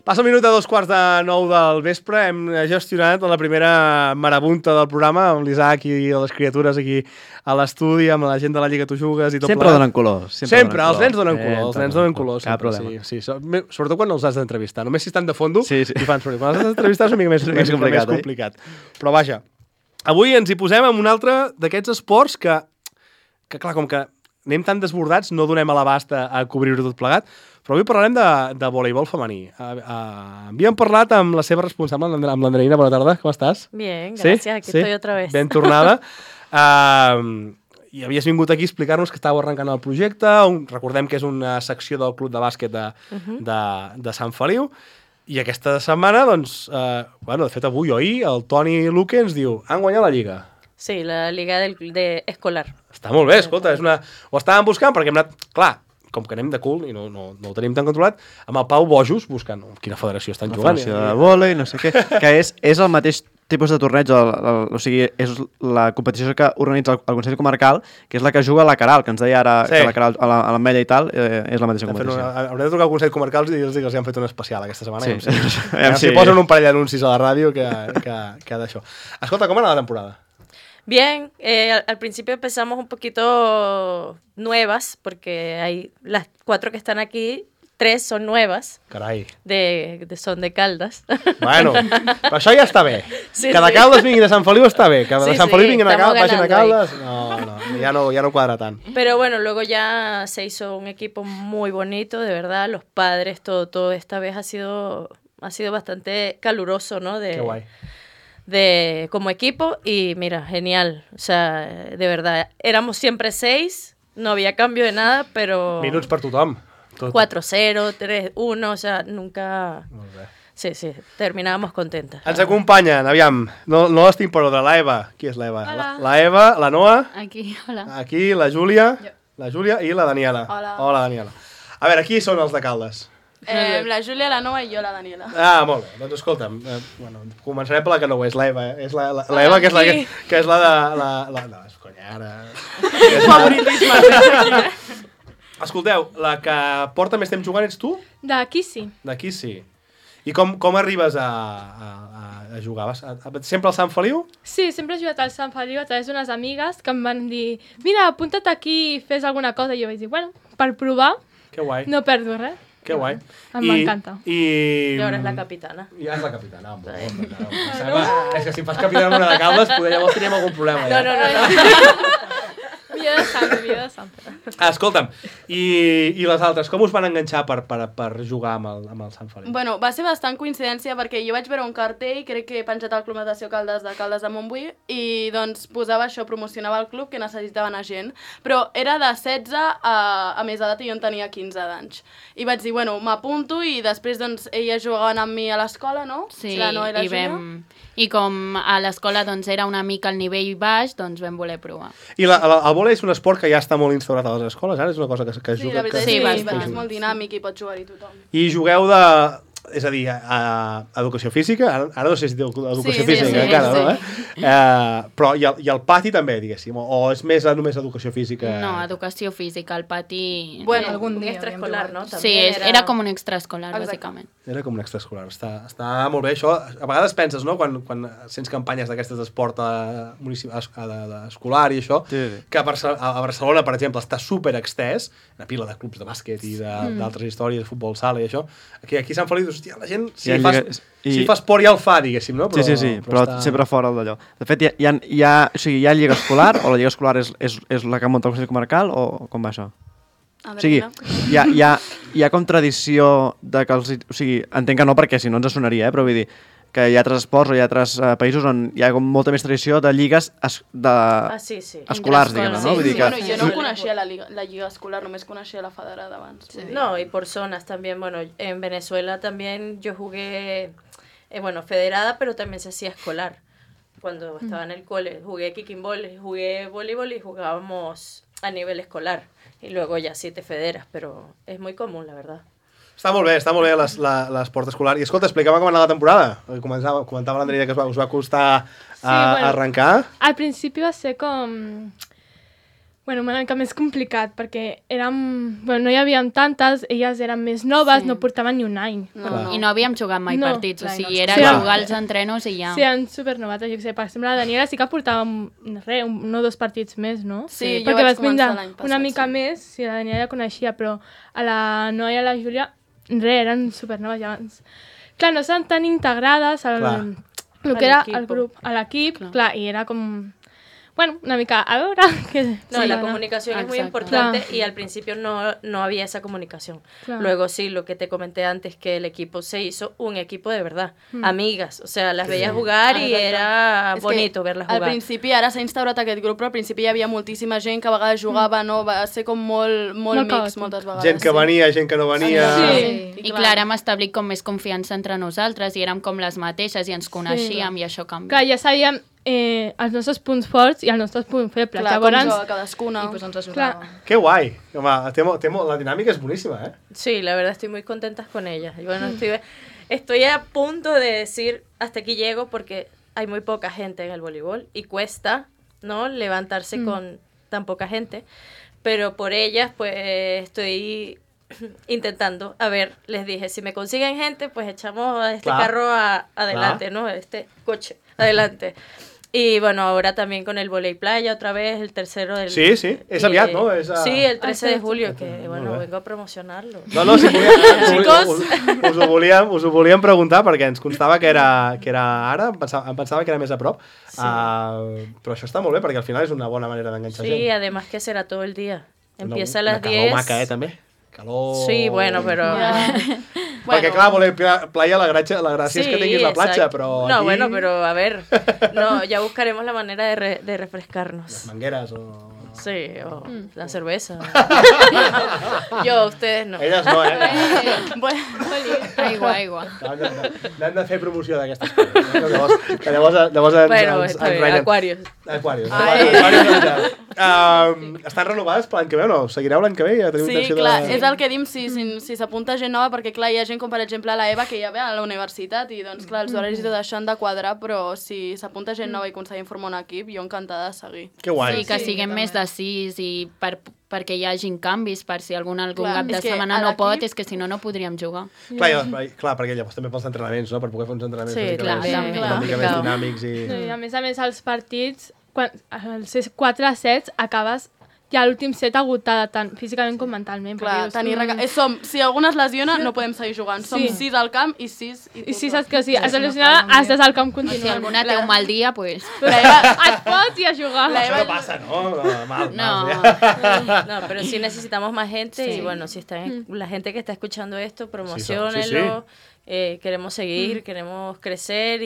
Passa el minut a 2:45 del vespre. Hem gestionat la primera marabunta del programa amb l'Isaac i les criatures aquí a l'estudi, amb la gent de la Lliga Tu Jugues i tot Sempre donen color. Sempre, els nens donen color. Els nens donen color. Cap problema. Sí, sobretot quan els has d'entrevistar. Només si estan de fondo i fan soroll. Quan els has d'entrevistar és una mica més complicat. Però vaja, avui ens hi posem amb un altre d'aquests esports que clar, com que anem tan desbordats, no donem a l'abast a cobrir-ho tot plegat, però avui parlarem de voleibol femení. Havíem parlat amb la seva responsable, amb l'Andreina. Bona tarda, com estàs? Bien, gracias, aquí estoy otra vez. Ben tornada. I havies vingut aquí a explicar-nos que estàveu arrencant el projecte. Recordem que és una secció del Club de Bàsquet de Sant Feliu. I aquesta setmana, doncs, de fet avui o ahir, el Toni Luque ens diu han guanyat la Lliga. Sí, la Liga de Escolar. Està molt bé, escolta, ho estàvem buscant perquè hem anat, clar, com que anem de cul i no ho tenim tan controlat, amb el Pau Bojos buscant quina federació estan jugant. La federació de vòlei, no sé què, que és el mateix tipus de torneig, o sigui, és la competició que organitza el Consell Comarcal, que és la que juga la Caral, que ens deia ara que la Caral a l'Ametlla i tal, és la mateixa competició. Haurem de trucar al Consell Comarcal i dir-los que els han fet un especial aquesta setmana. Si posen un parell d'anuncis a la ràdio que ha d'això. Escolta, com ha anat la temporada? Bien, al principio empezamos un poquito nuevas, porque hay las 4 que están aquí, 3 son nuevas. Carai. Son de Caldas. Bueno, però això ja està bé. Sí, que de Caldas vinguin a Sant Feliu està bé. Que de Sant Feliu vinguin a Caldas, vagin a Caldas... No, ya no cuadra tan. Pero bueno, luego ya se hizo un equipo muy bonito, de verdad. Los padres, todo esta vez ha sido bastante caluroso, ¿no? Qué guay. Como equipo, y mira, genial. O sea, de verdad, éramos siempre 6, no había cambio de nada, pero... Minuts per tothom. 4-0, 3-1, o sea, nunca... Molt bé. Sí, terminábamos contentas. Ens acompanyen, aviam, no les tinc per ordre, l'Eva. Qui és l'Eva? La Eva, la Noa. Aquí, hola. Aquí, la Júlia. La Júlia i la Daniela. Hola. Hola, Daniela. A veure, qui són els de Caldes? La Júlia, la Noa i jo, la Daniela. Ah, molt bé. Doncs escolta'm, començarem per la que no ho és, l'Eva. És l'Eva, que és la de... No, és conya, ara... Favoritisme. Escolteu, la que porta més temps jugant ets tu? D'aquí sí. D'aquí sí. I com arribes a jugar? Sempre al Sant Feliu? Sí, sempre he jugat al Sant Feliu a través d'unes amigues que em van dir mira, apunta't aquí i fes alguna cosa. I jo vaig dir, bueno, per provar, que guai. No perdo res. Que guai. M'encanta. I ara és la capitana. Ja és la capitana. És que si em fas capitana amb una de Caldes, llavors teníem algun problema. No. Via de Sant. Escolta'm, i les altres, com us van enganxar per jugar amb el Sant Feliu? Bueno, va ser bastant coincidència perquè jo vaig veure un cartell, crec que he penjat al Club Natació Caldes de Montbui, i doncs posava això, promocionava el club que necessitaven a gent, però era de 16 a més edat i jo en tenia 15 d'anys. I vaig dir, bueno, m'apunto i després doncs elles jugaven amb mi a l'escola, no? Sí, la Noa i la Júlia. I com a l'escola doncs, era una mica al nivell baix, doncs vam voler provar. I el vòlei és un esport que ja està molt instaurat a les escoles, ara és una cosa que es Sí, juga... la veritat Sí, és que bastant. és molt dinàmic i pot jugar-hi tothom. I jugueu de... És a dir, a educació física, ara no sé si diu educació Sí, física, sí, encara, sí. no? Però i el pati també, diguéssim, o és més només educació física? No, educació física, al pati... Bueno, Algun un dia extraescolar, havíem ¿no? jugat. Sí, También era com un extraescolar, Exacte. bàsicament. Era com un extraescolar. Està molt bé, això. A vegades penses, no?, quan sents campanyes d'aquestes d'esport escolar i això, Sí. que a Barcelona, per exemple, està super extès, una pila de clubs de bàsquet i d'altres històries, de futbol sala i això. Aquí a Sant Feliu, hòstia, la gent, si fa esport ja el fa, diguéssim, no? Sí, però està... sempre fora d'allò. De fet, hi ha lliga escolar, o la lliga escolar és la que munta el Consell Comarcal, o com va això? A O sigui, hi ha com tradició de que els... O sigui, entenc que no, perquè si no ens sonaria, però vull dir que hi ha altres esports o hi ha altres països on hi ha com molta més tradició de lligues sí, sí. escolars, diguem-ne, no? Vull dir que... Bueno, jo no coneixia la lliga escolar, només coneixia la federada abans. Sí. No, y por zonas también. Bueno, en Venezuela también yo jugué, federada, pero también se hacía escolar. Cuando estaba en el cole, jugué kicking ball, jugué voleibol y jugábamos a nivel escolar. Y luego ya sí te federas, pero es muy común, la verdad. Està molt bé l'esport escolar. I escolta, explica'm com ha anat la temporada. Comentava l'Andreina que us va costar arrencar. Al principi va ser com... Bueno, una mica més complicat, perquè no hi havíem tantes, elles eren més noves, no portaven ni un any. I no havíem jugat mai partits, o sigui, era jugar als entrenos i ja. Sí, eren supernovates, jo què sé, per exemple, la Daniela sí que portava un o dos partits més, no? Sí, jo perquè vaig vas vindre començar l'any passat, una mica més, sí, la Daniela ja coneixia, però a la Noa i a la Júlia, eren supernoves ja abans. Clar, no estan tan integrades al que era el grup, a l'equip, clar, i era com... Bueno, una mica, a veure... No, la comunicación es muy importante y al principio no había esa comunicación. Claro. Luego sí, lo que te comenté antes, que el equipo se hizo un equipo de verdad. Amigas, o sea, las veías jugar y era bonito verlas jugar. Al principi, ara s'ha instaurat aquest grup, però al principi hi havia moltíssima gent que a vegades jugava, no? Va ser com molt mix moltes vegades. Gent que venia, gent que no venia... I clar, hem establit com més confiança entre nosaltres i érem com les mateixes i ens coneixíem i això canvia. Clar, ja sabíem els nostres punts forts i els nostres punts febles. Clar, com juga cadascuna. I pues ens ajudava. Qué guai. Home, la dinàmica és boníssima, ¿eh? Sí, la verdad estoy muy contenta con ellas. Y bueno, estoy a punto de decir hasta aquí llego porque hay muy poca gente en el voleibol y cuesta, ¿no?, levantarse con tan poca gente. Pero por ellas, pues, estoy intentando. A ver, les dije, si me consiguen gente, pues echamos a este carro adelante, ¿no? Este coche adelante. Y bueno, ahora también con el volei playa otra vez, el tercero del... Sí, es aviat, ¿no? Sí, el 13 de julio, que bueno, vengo a promocionarlo. No, si us ho volíem preguntar perquè ens constava que era ara, em pensava que era més a prop, però això està molt bé perquè al final és una bona manera d'enganxar gent. Sí, además que será todo el día. Empieza a las 10. Calor maca, també. Calor... Sí, bueno, però... Perquè clar, voler playa, la gràcia és que tinguis la platja, però no, aquí... bueno, pero a ver, no, ya buscaremos la manera de refrescarnos. Las mangueras o... Sí, o la cerveza. Yo, ustedes no. Elles no, Bueno, aigua. N'hem de fer promoció d'aquestes coses. Llavors bueno, acuarios. Estan renovades per l'any que ve o no? Seguireu l'any que ve? Ja teniu intenció clar, és el que dim si s'apunta gent nova, perquè clar, hi ha gent com per exemple la Eva que ja ve a la universitat i doncs clar, els horaris i tot això han de quadrar, però si s'apunta gent nova i aconseguim formar un equip, jo encantada de seguir. Que guai. Sí, que siguem més de 6 i perquè hi hagin canvis, per si algun cap de setmana no pot, és que si no podríem jugar. Clar, perquè llavors també pels entrenaments, no? Per poder fer uns entrenaments una mica més dinàmics. I a més, els partits, quan els 4-7 acabes ja l'últim set agotada tant físicament com mentalment. Clar, si algú es lesiona no podem seguir jugant. Som 6 al camp i 6... I 6 que sí, has lesionada, has d'estar al camp continuant. Si alguna té un mal dia, pues... Et pots ir a jugar. Això no pasa, ¿no? No, pero sí necesitamos más gente y bueno, si están la gente que está escuchando esto, promociónenlo. Queremos seguir, queremos crecer,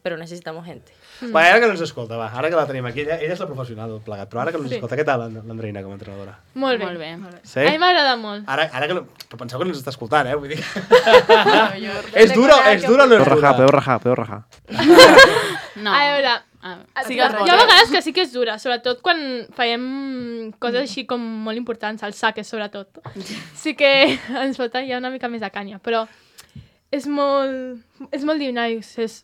pero necesitamos gente. Va, ara que no ens escolta, ara que la tenim aquí, ella és la professional del plegat, però ara que no ens escolta, què tal l'Andreina com a entrenadora? Molt bé. Sí? A mi m'agrada molt. Ara que no... Però penseu que no ens està escoltant, vull dir... És dura o no és dura? Podeu rajar. No. A veure, Sí, Hi ha vegades que sí que és dura, sobretot quan fèiem coses així com molt importants, els saques sobretot. Sí que ens falta ja una mica més de canya, però és molt dinàmic. Els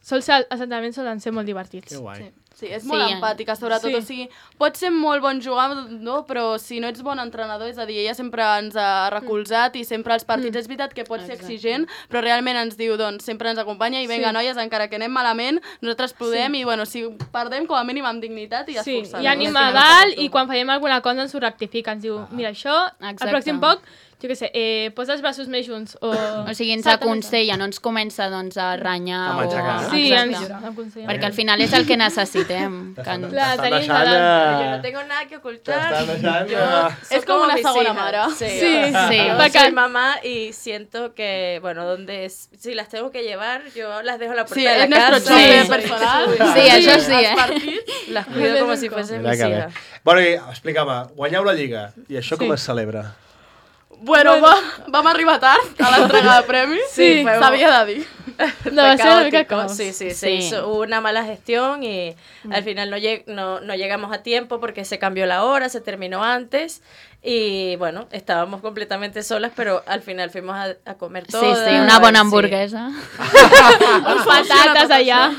assentaments solen ser molt divertits. Que guai. Sí, és molt empàtica, sobretot. O sigui, pot ser molt bon jugador, no? Però si no ets bon entrenador, és a dir, ella sempre ens ha recolzat i sempre als partits és veritat que pot ser exigent, però realment ens diu, doncs, sempre ens acompanya i vinga, noies, encara que anem malament, nosaltres podem i, bueno, si perdem, com a mínim amb dignitat i esforçant. Sí, i ànima a dalt i quan fèiem alguna cosa ens ho rectifica, ens diu, mira, això, al pròxim poc, jo què sé, posa els braços més junts. O sigui, ens aconsella, no ens comença doncs, a renyar. A matxacar. Sí, ens aconsella. Perquè al final és el que necessitem. Clar, tenim Yo no tengo nada que ocultar. Es como una segunda mare. Soy mamá y siento que, bueno, si las tengo que llevar, yo las dejo a la puerta de la casa. Sí, es nuestro chofer personal. Sí, això sí, Las cuido como si fuesen mis hijas. Bueno, i explica'm, guanyeu la Lliga. I això com es celebra? Bueno, vam arribar tard a l'entrega de premis. Sí, s'havia de dir. No, va a ser una mica caos. Sí, se hizo una mala gestión y al final no llegamos a tiempo porque se cambió la hora, se terminó antes y bueno, estábamos completamente solas, pero al final fuimos a comer todas. Sí, una bona hamburguesa. Amb patates allà.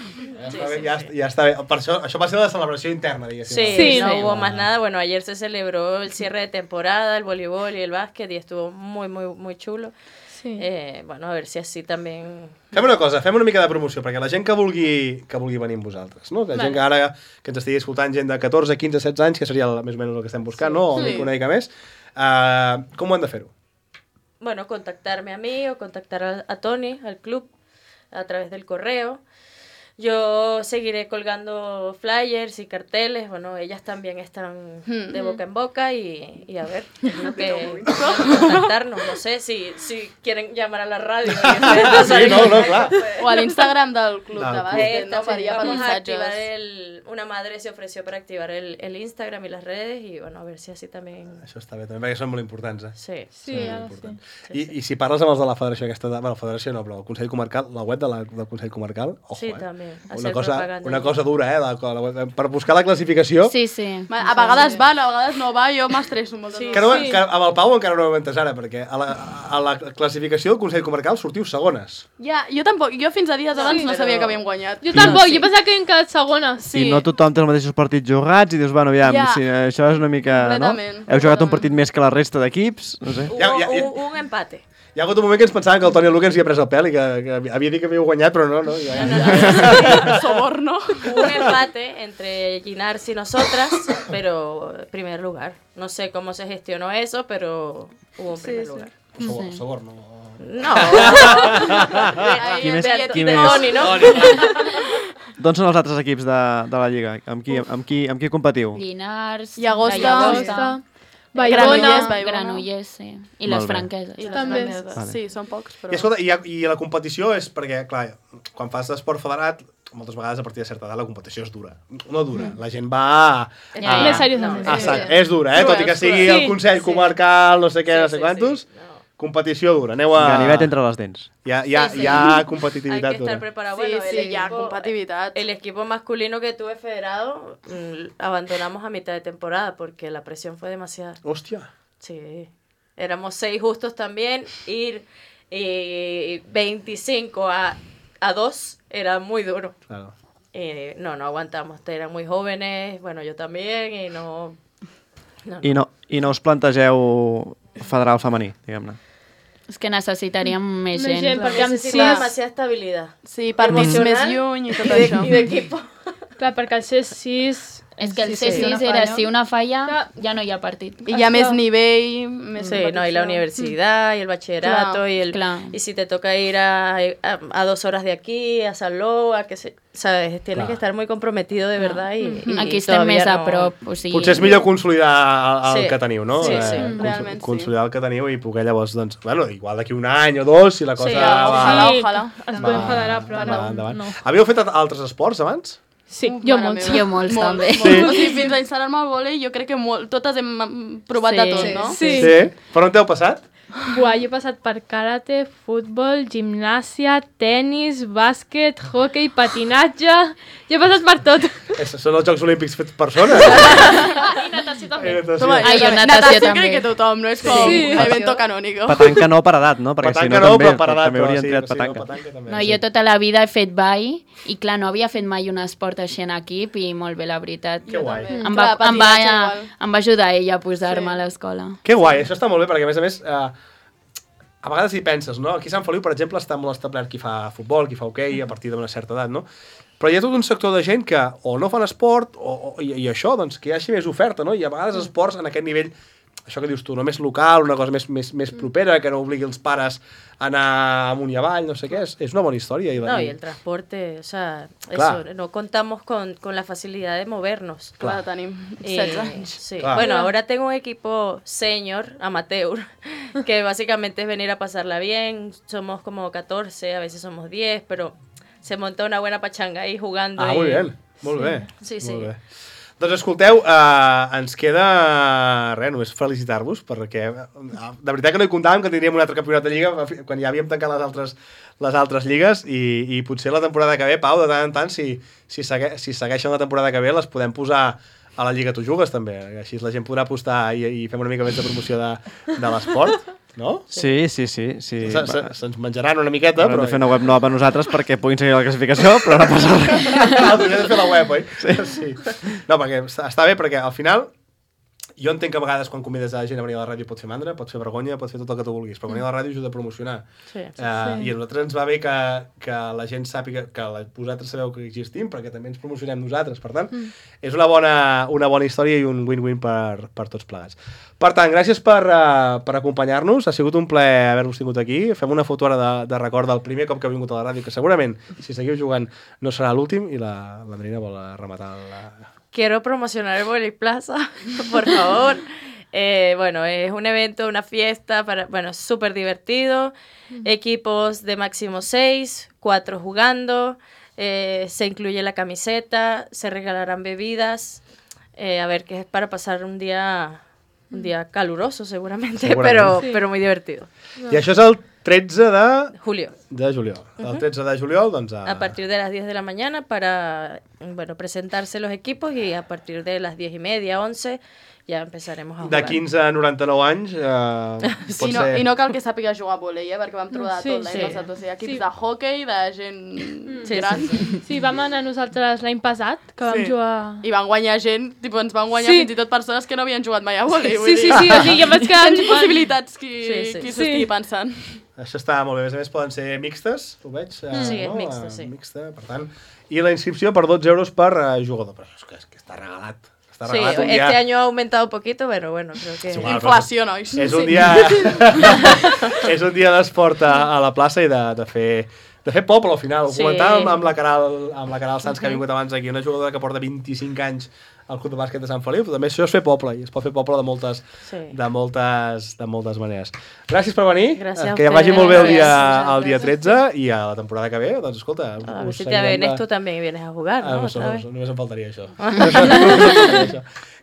Ja està bé. Per això va ser la celebració interna, diguéssim. Sí, no hubo más nada. Bueno, ayer se celebró el cierre de temporada, el voleibol y el básquet y estuvo muy, muy, muy chulo. Sí. Bueno, a ver si así también... Fem una cosa, fem una mica de promoció, perquè la gent que vulgui venir amb vosaltres, no? Que gent que ara que ens estigui escoltant, gent de 14, 15, 16 anys, que seria més o menys el que estem buscant, no? O una mica més. Com ho han de fer-ho? Bueno, contactarme a mí o contactar a Tony, al club, a través del correo. Yo seguiré colgando flyers y carteles, bueno, ellas también están de boca en boca y a ver, tengo que contactarnos, no sé, si quieren llamar a la radio. Sí, no, clar. O a l'Instagram del club de bàsquet, no? Vamos a activar una madre se ofreció para activar el Instagram y las redes y bueno, a ver si así también... Això està bé, també, perquè són molt importants, eh? Sí, I si parles amb els de la federació aquesta... Bueno, la federació no, però el Consell Comarcal, la web del Consell Comarcal, ojo, sí, també. Una cosa dura, per buscar la classificació. Sí. A vegades va, a vegades no va, jo m'estresso molt. Que amb el Pau encara no ho hem entès ara, perquè a la classificació del Consell Comarcal sortiu segones. Ja, jo tampoc, jo fins a dies abans no sabia que havíem guanyat. Jo tampoc, jo pensava que havíem quedat segones. I no tothom té els mateixos partits jugats i dius, bueno, aviam, si això és una mica... Heu jugat un partit més que la resta d'equips, no sé. Un empate. Hi ha hagut un moment que ens pensàvem que el Toni Luque ens havia pres el pèl i que havia dit que havíeu guanyat, però no. Soborno. Un empate entre Ginars y nosotras, pero primer lugar. No sé cómo se gestionó eso, pero hubo un primer lugar. Soborno. No. Qui més? Toni, no? D'on són els altres equips de la Lliga? Amb qui competiu? Llinars, Llagosta, Granollers, sí. I les franqueses. També. Sí, són pocs, però... I escolta, i la competició és perquè, clar, quan fas esport federat, moltes vegades a partir de certa edat la competició és dura. No dura, la gent va... Més seriosament. És dura, tot i que sigui el Consell Comarcal, no sé què, no sé quantos... Competició dura, aneu a... Ganivet entre les dents. Hi ha competitivitat dura. Hay que estar preparado. Bueno, ya competitividad. El equipo masculino que tuve federado abandonamos a mitad de temporada porque la presión fue demasiada. Hostia. Sí. Éramos 6 justos también. Ir 25 a 2 era muy duro. Claro. No aguantamos. Eran muy jóvenes, bueno, yo también, y no... I no us plantegeu federal femení, diguem-ne? És que necessitaríem més gent. Perquè amb demasiada estabilitat. Sí, partits més lluny i tot això. I d'equip. Clar, perquè el C6... És que el C6 era, si una falla, ya no hi ha partit. I hi ha més nivell, més sí, no, y la universidad, y el bachillerato, y si te toca ir a 2 horas de aquí, a Salou, a que se... ¿Sabes? Tienes que estar muy comprometido de verdad y aquí estem més a prop. O sigui... Potser és millor consolidar el que teniu, no? Sí, realment sí. Consolidar el que teniu i poder llavors, doncs, bueno, igual d'aquí un any o 2, si la cosa... Sí, ojalà. Ens podem federar, però no. Havíeu fet altres esports abans? Sí, jo molts. Jo molts, també. O sigui, fins a instal·lar-me al vòlei, jo crec que totes hem provat de tot, no? Sí. Per on t'heu passat? Buah, jo he passat per karate, futbol, gimnàsia, tennis, bàsquet, hoquei, patinatge... Jo he passat per tot. Són els Jocs Olímpics fets persones. I natació també. Natació crec que tothom, no? És com evento canónico. Petanca no per edat, no? Perquè Petanca si no, no, també, però per edat, també haurien sí, triat sí, petanca. No, jo tota la vida he fet ball i clar, no havia fet mai un esport així en equip i molt bé, la veritat. Que guai. Em va ajudar ella a posar-me a l'escola. Que guai, això està molt bé, perquè a més, a vegades hi penses, no? Aquí a Sant Feliu, per exemple, està molt establert qui fa futbol, qui fa hoquei, a partir d'una certa edat, no? Però hi ha tot un sector de gent que o no fan esport i això, doncs, que hi hagi més oferta, no? I a vegades esports en aquest nivell, això que dius tu, no més local, una cosa més propera, que no obligui els pares a anar amunt i avall, no sé què, és una bona història. No, y el transporte, o sea, eso, no contamos con la facilidad de movernos. Claro, tenim 16 anys. Sí. Bueno, ahora tengo un equipo senior, amateur, que básicamente es venir a pasarla bien, somos como 14, a veces somos 10, pero se monta una buena pachanga ahí jugando. Ah, molt bé. Sí, sí. Molt bé. Doncs escolteu, ens queda res, només felicitar-vos, perquè de veritat que no hi comptàvem que tindríem un altre campionat de Lliga quan ja havíem tancat les altres lligues i potser la temporada que ve, Pau, de tant en tant, si segueixen la temporada que ve, les podem posar a la Lliga Tu Jugues, també. Així la gent podrà apostar i fem una mica més de promoció de l'esport, no? Sí. Se'ns menjaran una miqueta, però... Hem de fer una web nova per nosaltres perquè puguin seguir la classificació, però no passa res. Hauria de fer la web, oi? Sí. No, perquè està bé, perquè al final jo entenc que a vegades quan convides a gent a venir a la ràdio pot fer mandra, pot fer vergonya, pot fer tot el que tu vulguis, però venir a la ràdio ajuda a promocionar. Sí. I a nosaltres ens va bé que la gent sàpiga que vosaltres sabeu que existim, perquè també ens promocionem nosaltres. Per tant, és una bona història i un win-win per tots plegats. Per tant, gràcies per acompanyar-nos. Ha sigut un plaer haver-vos tingut aquí. Fem una foto ara de record del primer cop que ha vingut a la ràdio, que segurament, si seguiu jugant, no serà l'últim, i la Marina vol rematar Quiero promocionar el Vóley Plaza, por favor. Bueno, es un evento, una fiesta, súper divertido. Equipos de máximo 6, 4 jugando. Se incluye la camiseta, se regalarán bebidas. A ver, que es para pasar un día caluroso seguramente. Pero muy divertido. I això és el 13 de julio. El 13 de juliol, doncs... A partir de las 10 de la mañana para presentarse los equipos y a partir de las 10:30, 11 ja empezaremos a jugar. De 15 a 99 anys sí, ser... I no cal que sàpiga jugar a vòlei, perquè vam trobar tot l'any passat. O sigui, equips de hoquei, de gent gran. Sí, vam anar nosaltres l'any passat, que vam jugar... I van guanyar gent, ens van guanyar fins i tot persones que no havien jugat mai a vòlei. Sí, o sigui, jo vaig quedar... Tens possibilitats qui s'ho estigui pensant. Això està molt bé. A més poden ser mixtes, ho veig. Sí, és mixta, sí. Mixta, per tant. I la inscripció per 12 euros per jugador. Però és que està regalat. Sí, este año ha aumentado un poquito, pero bueno, creo que... Inflació, nois. És un dia... és un dia d'esport a la plaça i de fer poble, al final. Ho comentàvem amb la Caral Sanz, que ha vingut abans aquí, una jugadora que porta 25 anys al Club de Bàsquet de Sant Feliu, però també això és fer poble, i es pot fer poble de moltes maneres. Gràcies per venir, que ja vagi molt bé el dia 13, i a la temporada que ve, doncs escolta... A ver si te vienes tú también y vienes a jugar, ¿no? Només em faltaria això.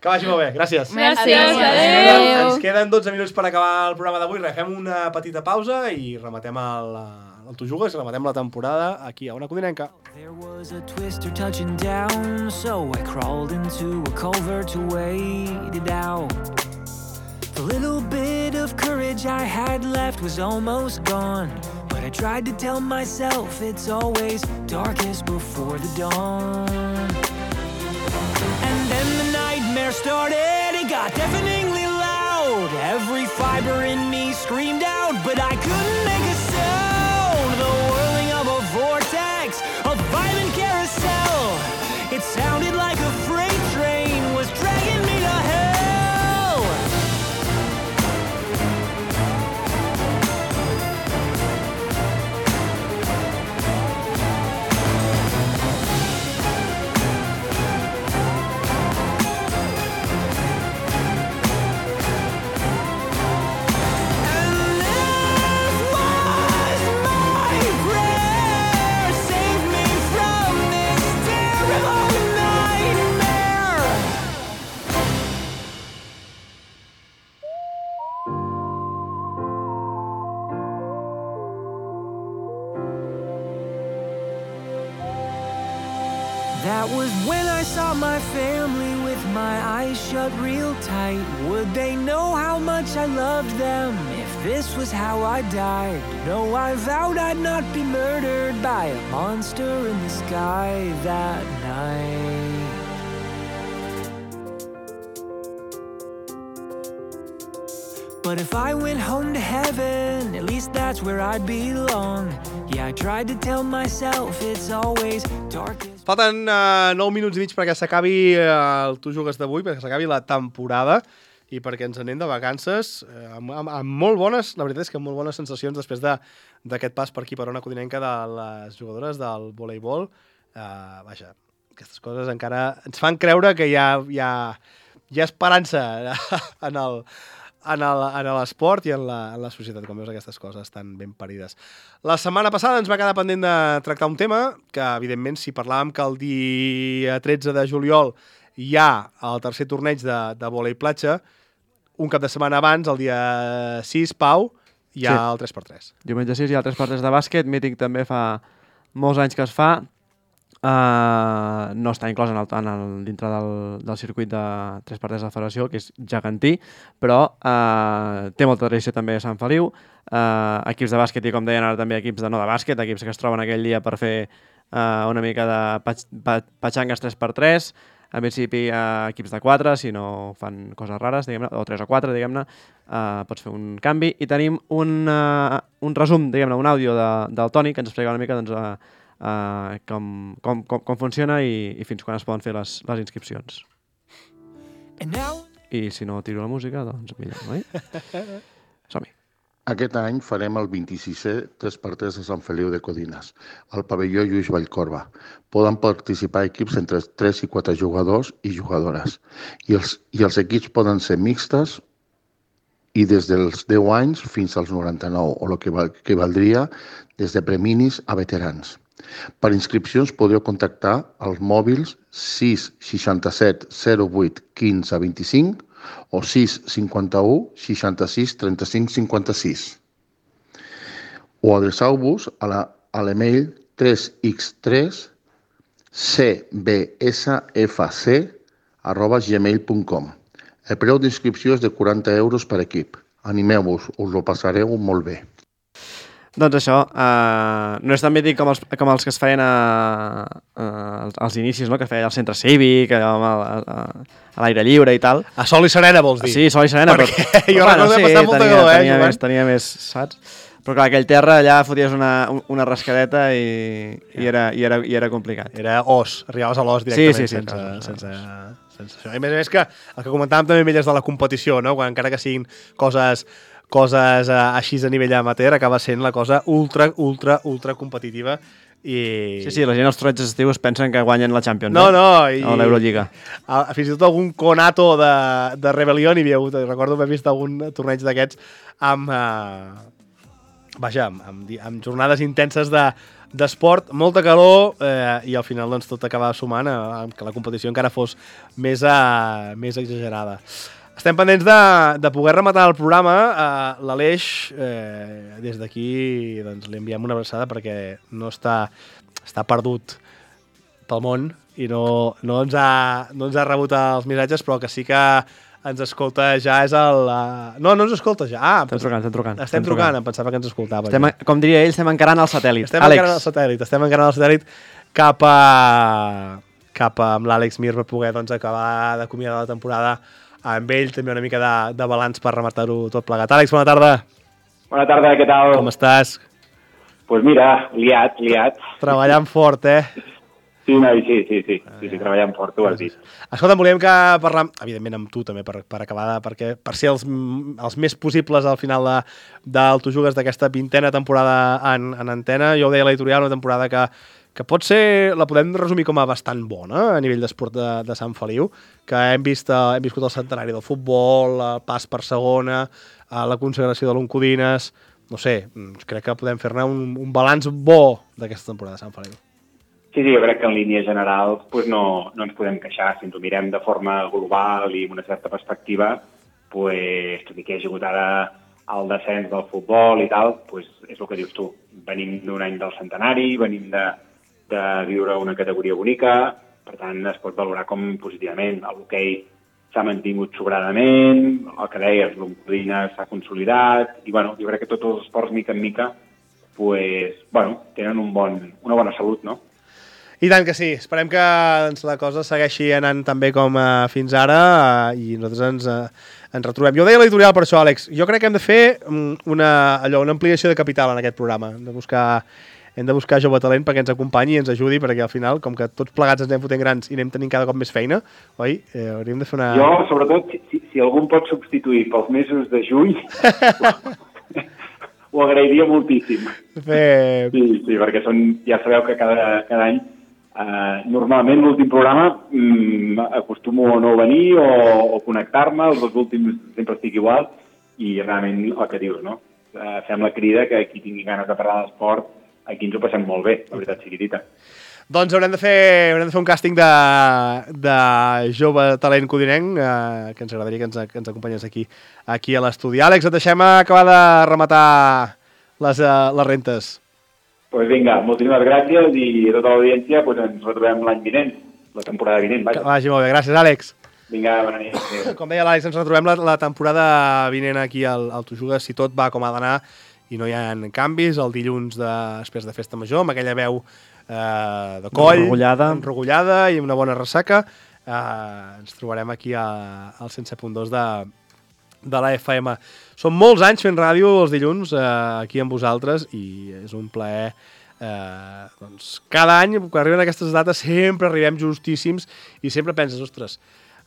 Que vagi molt bé, gràcies. Gràcies, adéu. Ens queden 12 minuts per acabar el programa d'avui, fem una petita pausa i rematem el Tu Jugues, rematem la temporada aquí a Ona Codinenca. There was a twister touching down, so I crawled into a culvert to wait it out. The little bit of courage I had left was almost gone, but I tried to tell myself it's always darkest before the dawn. And then the nightmare started, it got deafeningly loud. Every fiber in me screamed out, but I couldn't make a sound. The whirling of a vortex, a violent carousel. It sounded like a freight train was dragging me to hell. And if That was when I saw my family with my eyes shut real tight. Would they know how much I loved them if this was how I died? No, I vowed I'd not be murdered by a monster in the sky that night. But if I went home to heaven, at least that's where I'd belong. Yeah, I tried to tell myself it's always darkest. Falten 9 minuts i mig perquè s'acabi el Tu Jugues d'avui, perquè s'acabi la temporada i perquè ens anem de vacances amb molt bones, la veritat és que amb molt bones sensacions després d'aquest pas per aquí, per Ona Codinenca, de les jugadores del voleibol. Vaja, aquestes coses encara ens fan creure que hi ha esperança en l'esport i en la societat, com veus, aquestes coses tan ben parides. La setmana passada ens va quedar pendent de tractar un tema que, evidentment, si parlàvem que el dia 13 de juliol hi ha el tercer torneig de vòlei platja, un cap de setmana abans, el dia 6, Pau, hi ha el 3x3. Diumenge 6 hi ha el 3x3 de bàsquet, mític també fa molts anys que es fa. No està inclòs dintre del circuit de 3x3 de la federació, que és gegantí, però té molta tradició també a Sant Feliu. Equips de bàsquet i, com deien ara, també equips de no de bàsquet, equips que es troben aquell dia per fer una mica de patxangues 3x3, en principi equips de 4, si no fan coses rares, diguem-ne, o 3 o 4, diguem-ne, pots fer un canvi. I tenim un resum, diguem-ne, un àudio del Toni, que ens explica una mica com funciona i fins quan es poden fer les inscripcions. I si no tiro la música, doncs millor, oi? Som-hi. Aquest any farem el 26è 3x3 de Sant Feliu de Codines, al pavelló Lluís Vallcorba. Poden participar equips entre 3 i 4 jugadors i jugadores. I els equips poden ser mixtes i des dels 10 anys fins als 99, o el que valdria des de preminis a veterans. Per inscripcions podeu contactar als mòbils 667 08 15 25 o 651 66 35 56. O adreçau-vos a l'email 3x3cbsfc@gmail.com. El preu d'inscripció és de 40 euros per equip. Animeu-vos, us ho passareu molt bé. Doncs això, no és tan mític com els que es feien als inicis, no? Que es feia al centre cívic, a l'aire lliure i tal. A Sol i Serena, vols dir? Sí, Sol i Serena. Perquè jo recordo que passava molta calor, tenia més, saps? Però clar, aquell terra allà foties una rascadeta i era complicat. Era os, arribaves a l'os directament sense això. I a més que el que comentàvem també amb elles de la competició, no? Quan encara que siguin coses així a nivell amateur, acaba sent la cosa ultra competitiva. I... Sí, la gent als torneigs estius pensen que guanyen la Champions o l'Eurolliga. Fins i tot algun conato de rebel·lió n'hi havia hagut. Recordo haver vist algun torneig d'aquests amb jornades intenses d'esport, molta calor, i al final doncs, tot acaba sumant que la competició encara fos més exagerada. Estem pendents de poder rematar el programa. L'Aleix, des d'aquí, doncs, li enviem una abraçada perquè no està perdut pel món i no ens ha rebut els missatges, però que sí que ens escolta ja és el... No ens escolta ja. Estem trucant. Estem trucant, em pensava que ens escoltava. Com diria ell, estem encarant el satèl·lit. Estem encarant el satèl·lit cap amb l'Àlex Mir per poder acabar d'acomiadar la temporada amb ell, també una mica de balanç per rematar-ho tot plegat. Àlex, bona tarda. Bona tarda, què tal? Com estàs? Pues mira, liat. Treballant fort, Sí, treballant fort, tu ho has dit. Escolta, volíem que parlar, evidentment amb tu també, per acabar, per ser els més possibles al final del Tu Jugues d'aquesta 20a temporada en antena. Jo ho deia a l'editorial, una temporada que pot ser, la podem resumir com a bastant bona a nivell d'esport de Sant Feliu, que hem viscut el centenari del futbol, el pas per segona, la consagració de l'Oncodines, no sé, crec que podem fer-ne un balanç bo d'aquesta temporada de Sant Feliu. Sí, jo crec que en línia general no ens podem queixar. Si ens ho mirem de forma global i amb una certa perspectiva, tot i que hi ha hagut ara el descens del futbol i tal, és el que dius tu. Venim d'un any del centenari, venim de viure una categoria bonica, Per tant, es pot valorar com positivament. L'hoquei s'ha mantingut sobradament, el que deies, l'Oncodines s'ha consolidat, i bueno, jo crec que tots els esports, mica en mica, tenen una bona salut, no? I tant que sí. Esperem que la cosa segueixi anant tan bé com fins ara i nosaltres ens retrobem. Jo deia a l'editorial per això, Àlex. Jo crec que hem de fer una ampliació de capital en aquest programa. Hem de buscar jove talent perquè ens acompanyi i ens ajudi, perquè al final, com que tots plegats ens anem fotent grans i anem tenint cada cop més feina, oi? Hauríem de fer una... Jo, sobretot, si algú em pot substituir pels mesos de juny, ho agrairia moltíssim. Sí, perquè ja sabeu que cada any, normalment l'últim programa acostumo a no venir o connectar-me, els dos últims sempre estic igual, i realment el que dius, no? Fem la crida que qui tingui ganes de parlar d'esport, aquí ens ho passem molt bé, la veritat sigui dita. Doncs haurem de fer un càsting de jove talent codinenc, que ens agradaria que ens acompanyés aquí a l'estudi. Àlex, et deixem acabar de rematar les rentes. Doncs vinga, moltíssimes gràcies i a tota l'audiència ens retrobem l'any vinent, la temporada vinent. Que vagi molt bé, gràcies, Àlex. Vinga, bona nit. Com deia l'Àlex, ens retrobem la temporada vinent aquí al Tu Jugues, si tot va com ha d'anar i no hi ha canvis, el dilluns després de Festa Major, amb aquella veu de coll, enrogullada i amb una bona ressaca. Ens trobarem aquí al 107.2 de la FM. Són molts anys fent ràdio els dilluns aquí amb vosaltres i és un plaer. Cada any, quan arriben aquestes dates, sempre arribem justíssims i sempre penses, ostres,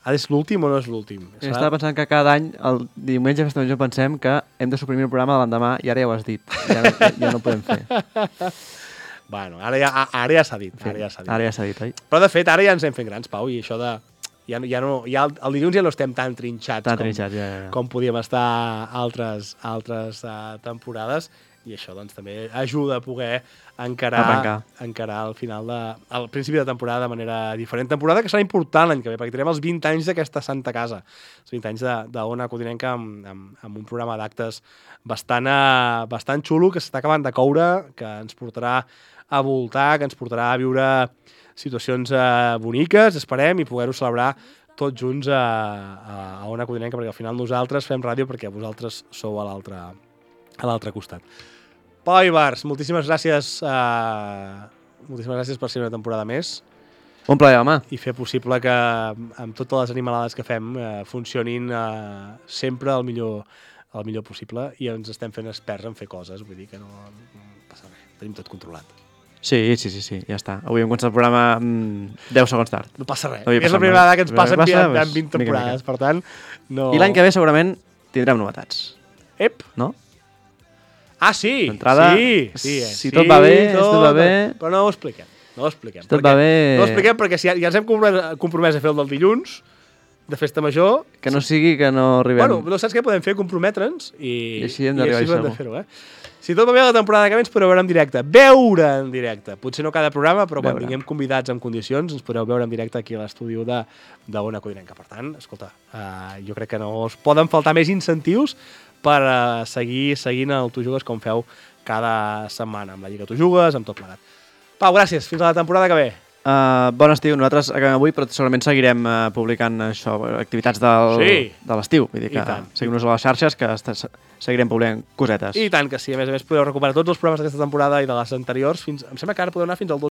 és l'últim o no és l'últim? Estava pensant que cada any, el diumenge de Festa Major, pensem que hem de suprimir el programa de l'endemà i ara ja ho has dit. Ja no ho podem fer. Bueno, ara ja s'ha dit. Ara ja s'ha dit, oi? Però de fet, ara ja ens hem fet grans, Pau, i això de... el dilluns ja no estem tan trinxats com podíem estar altres temporades, i això doncs també ajuda a poder encarar al final al principi de temporada de manera diferent. Temporada que serà important l'any que ve, perquè tenim els 20 anys d'aquesta santa casa, els 20 anys d'Ona Codinenca amb un programa d'actes bastant xulo que s'està acabant de coure, que ens portarà a voltar, que ens portarà a viure situacions boniques, esperem, i poder-ho celebrar tots junts a Ona Codinenca, perquè al final nosaltres fem ràdio perquè vosaltres sou a l'altre costat. Pau Ibars, moltíssimes gràcies per ser una temporada més. Un plaer, home. I fer possible que amb totes les animalades que fem funcionin sempre el millor possible, i ens estem fent experts en fer coses, vull dir que no passa res, tenim tot controlat. Sí, ja està. Avui hem començat el programa 10 segons tard. No passa res. És la primera vegada que ens passa en 20 temporades, per tant... no. I l'any que ve segurament tindrem novetats. Ep! No? Ah, sí! Sí. Si tot va bé, Però no ho expliquem. No ho expliquem perquè si ja ens hem compromès a fer el del dilluns, de Festa Major... Que no sigui que no arribem... Bueno, no saps què podem fer? Comprometre'ns i així hem d'arribar a fer-ho, Si tot va bé la temporada que ve ens podreu veure en directe. Potser no cada programa, però quan vinguem convidats en condicions ens podreu veure en directe aquí a l'estudi d'Ona Codinenca. Per tant, escolta, jo crec que no us poden faltar més incentius per seguir seguint el Tu Jugues com feu cada setmana, amb la Lliga Tu Jugues, amb tot plegat. Pau, gràcies. Fins a la temporada que ve. Bon estiu. Nosaltres acabem avui, però segurament seguirem publicant això, activitats de l'estiu. Vull dir que seguim-nos a les xarxes, que seguirem publicant cosetes. I tant que sí. A més, podeu recuperar tots els programes d'aquesta temporada i de les anteriors. Em sembla que ara podeu anar fins al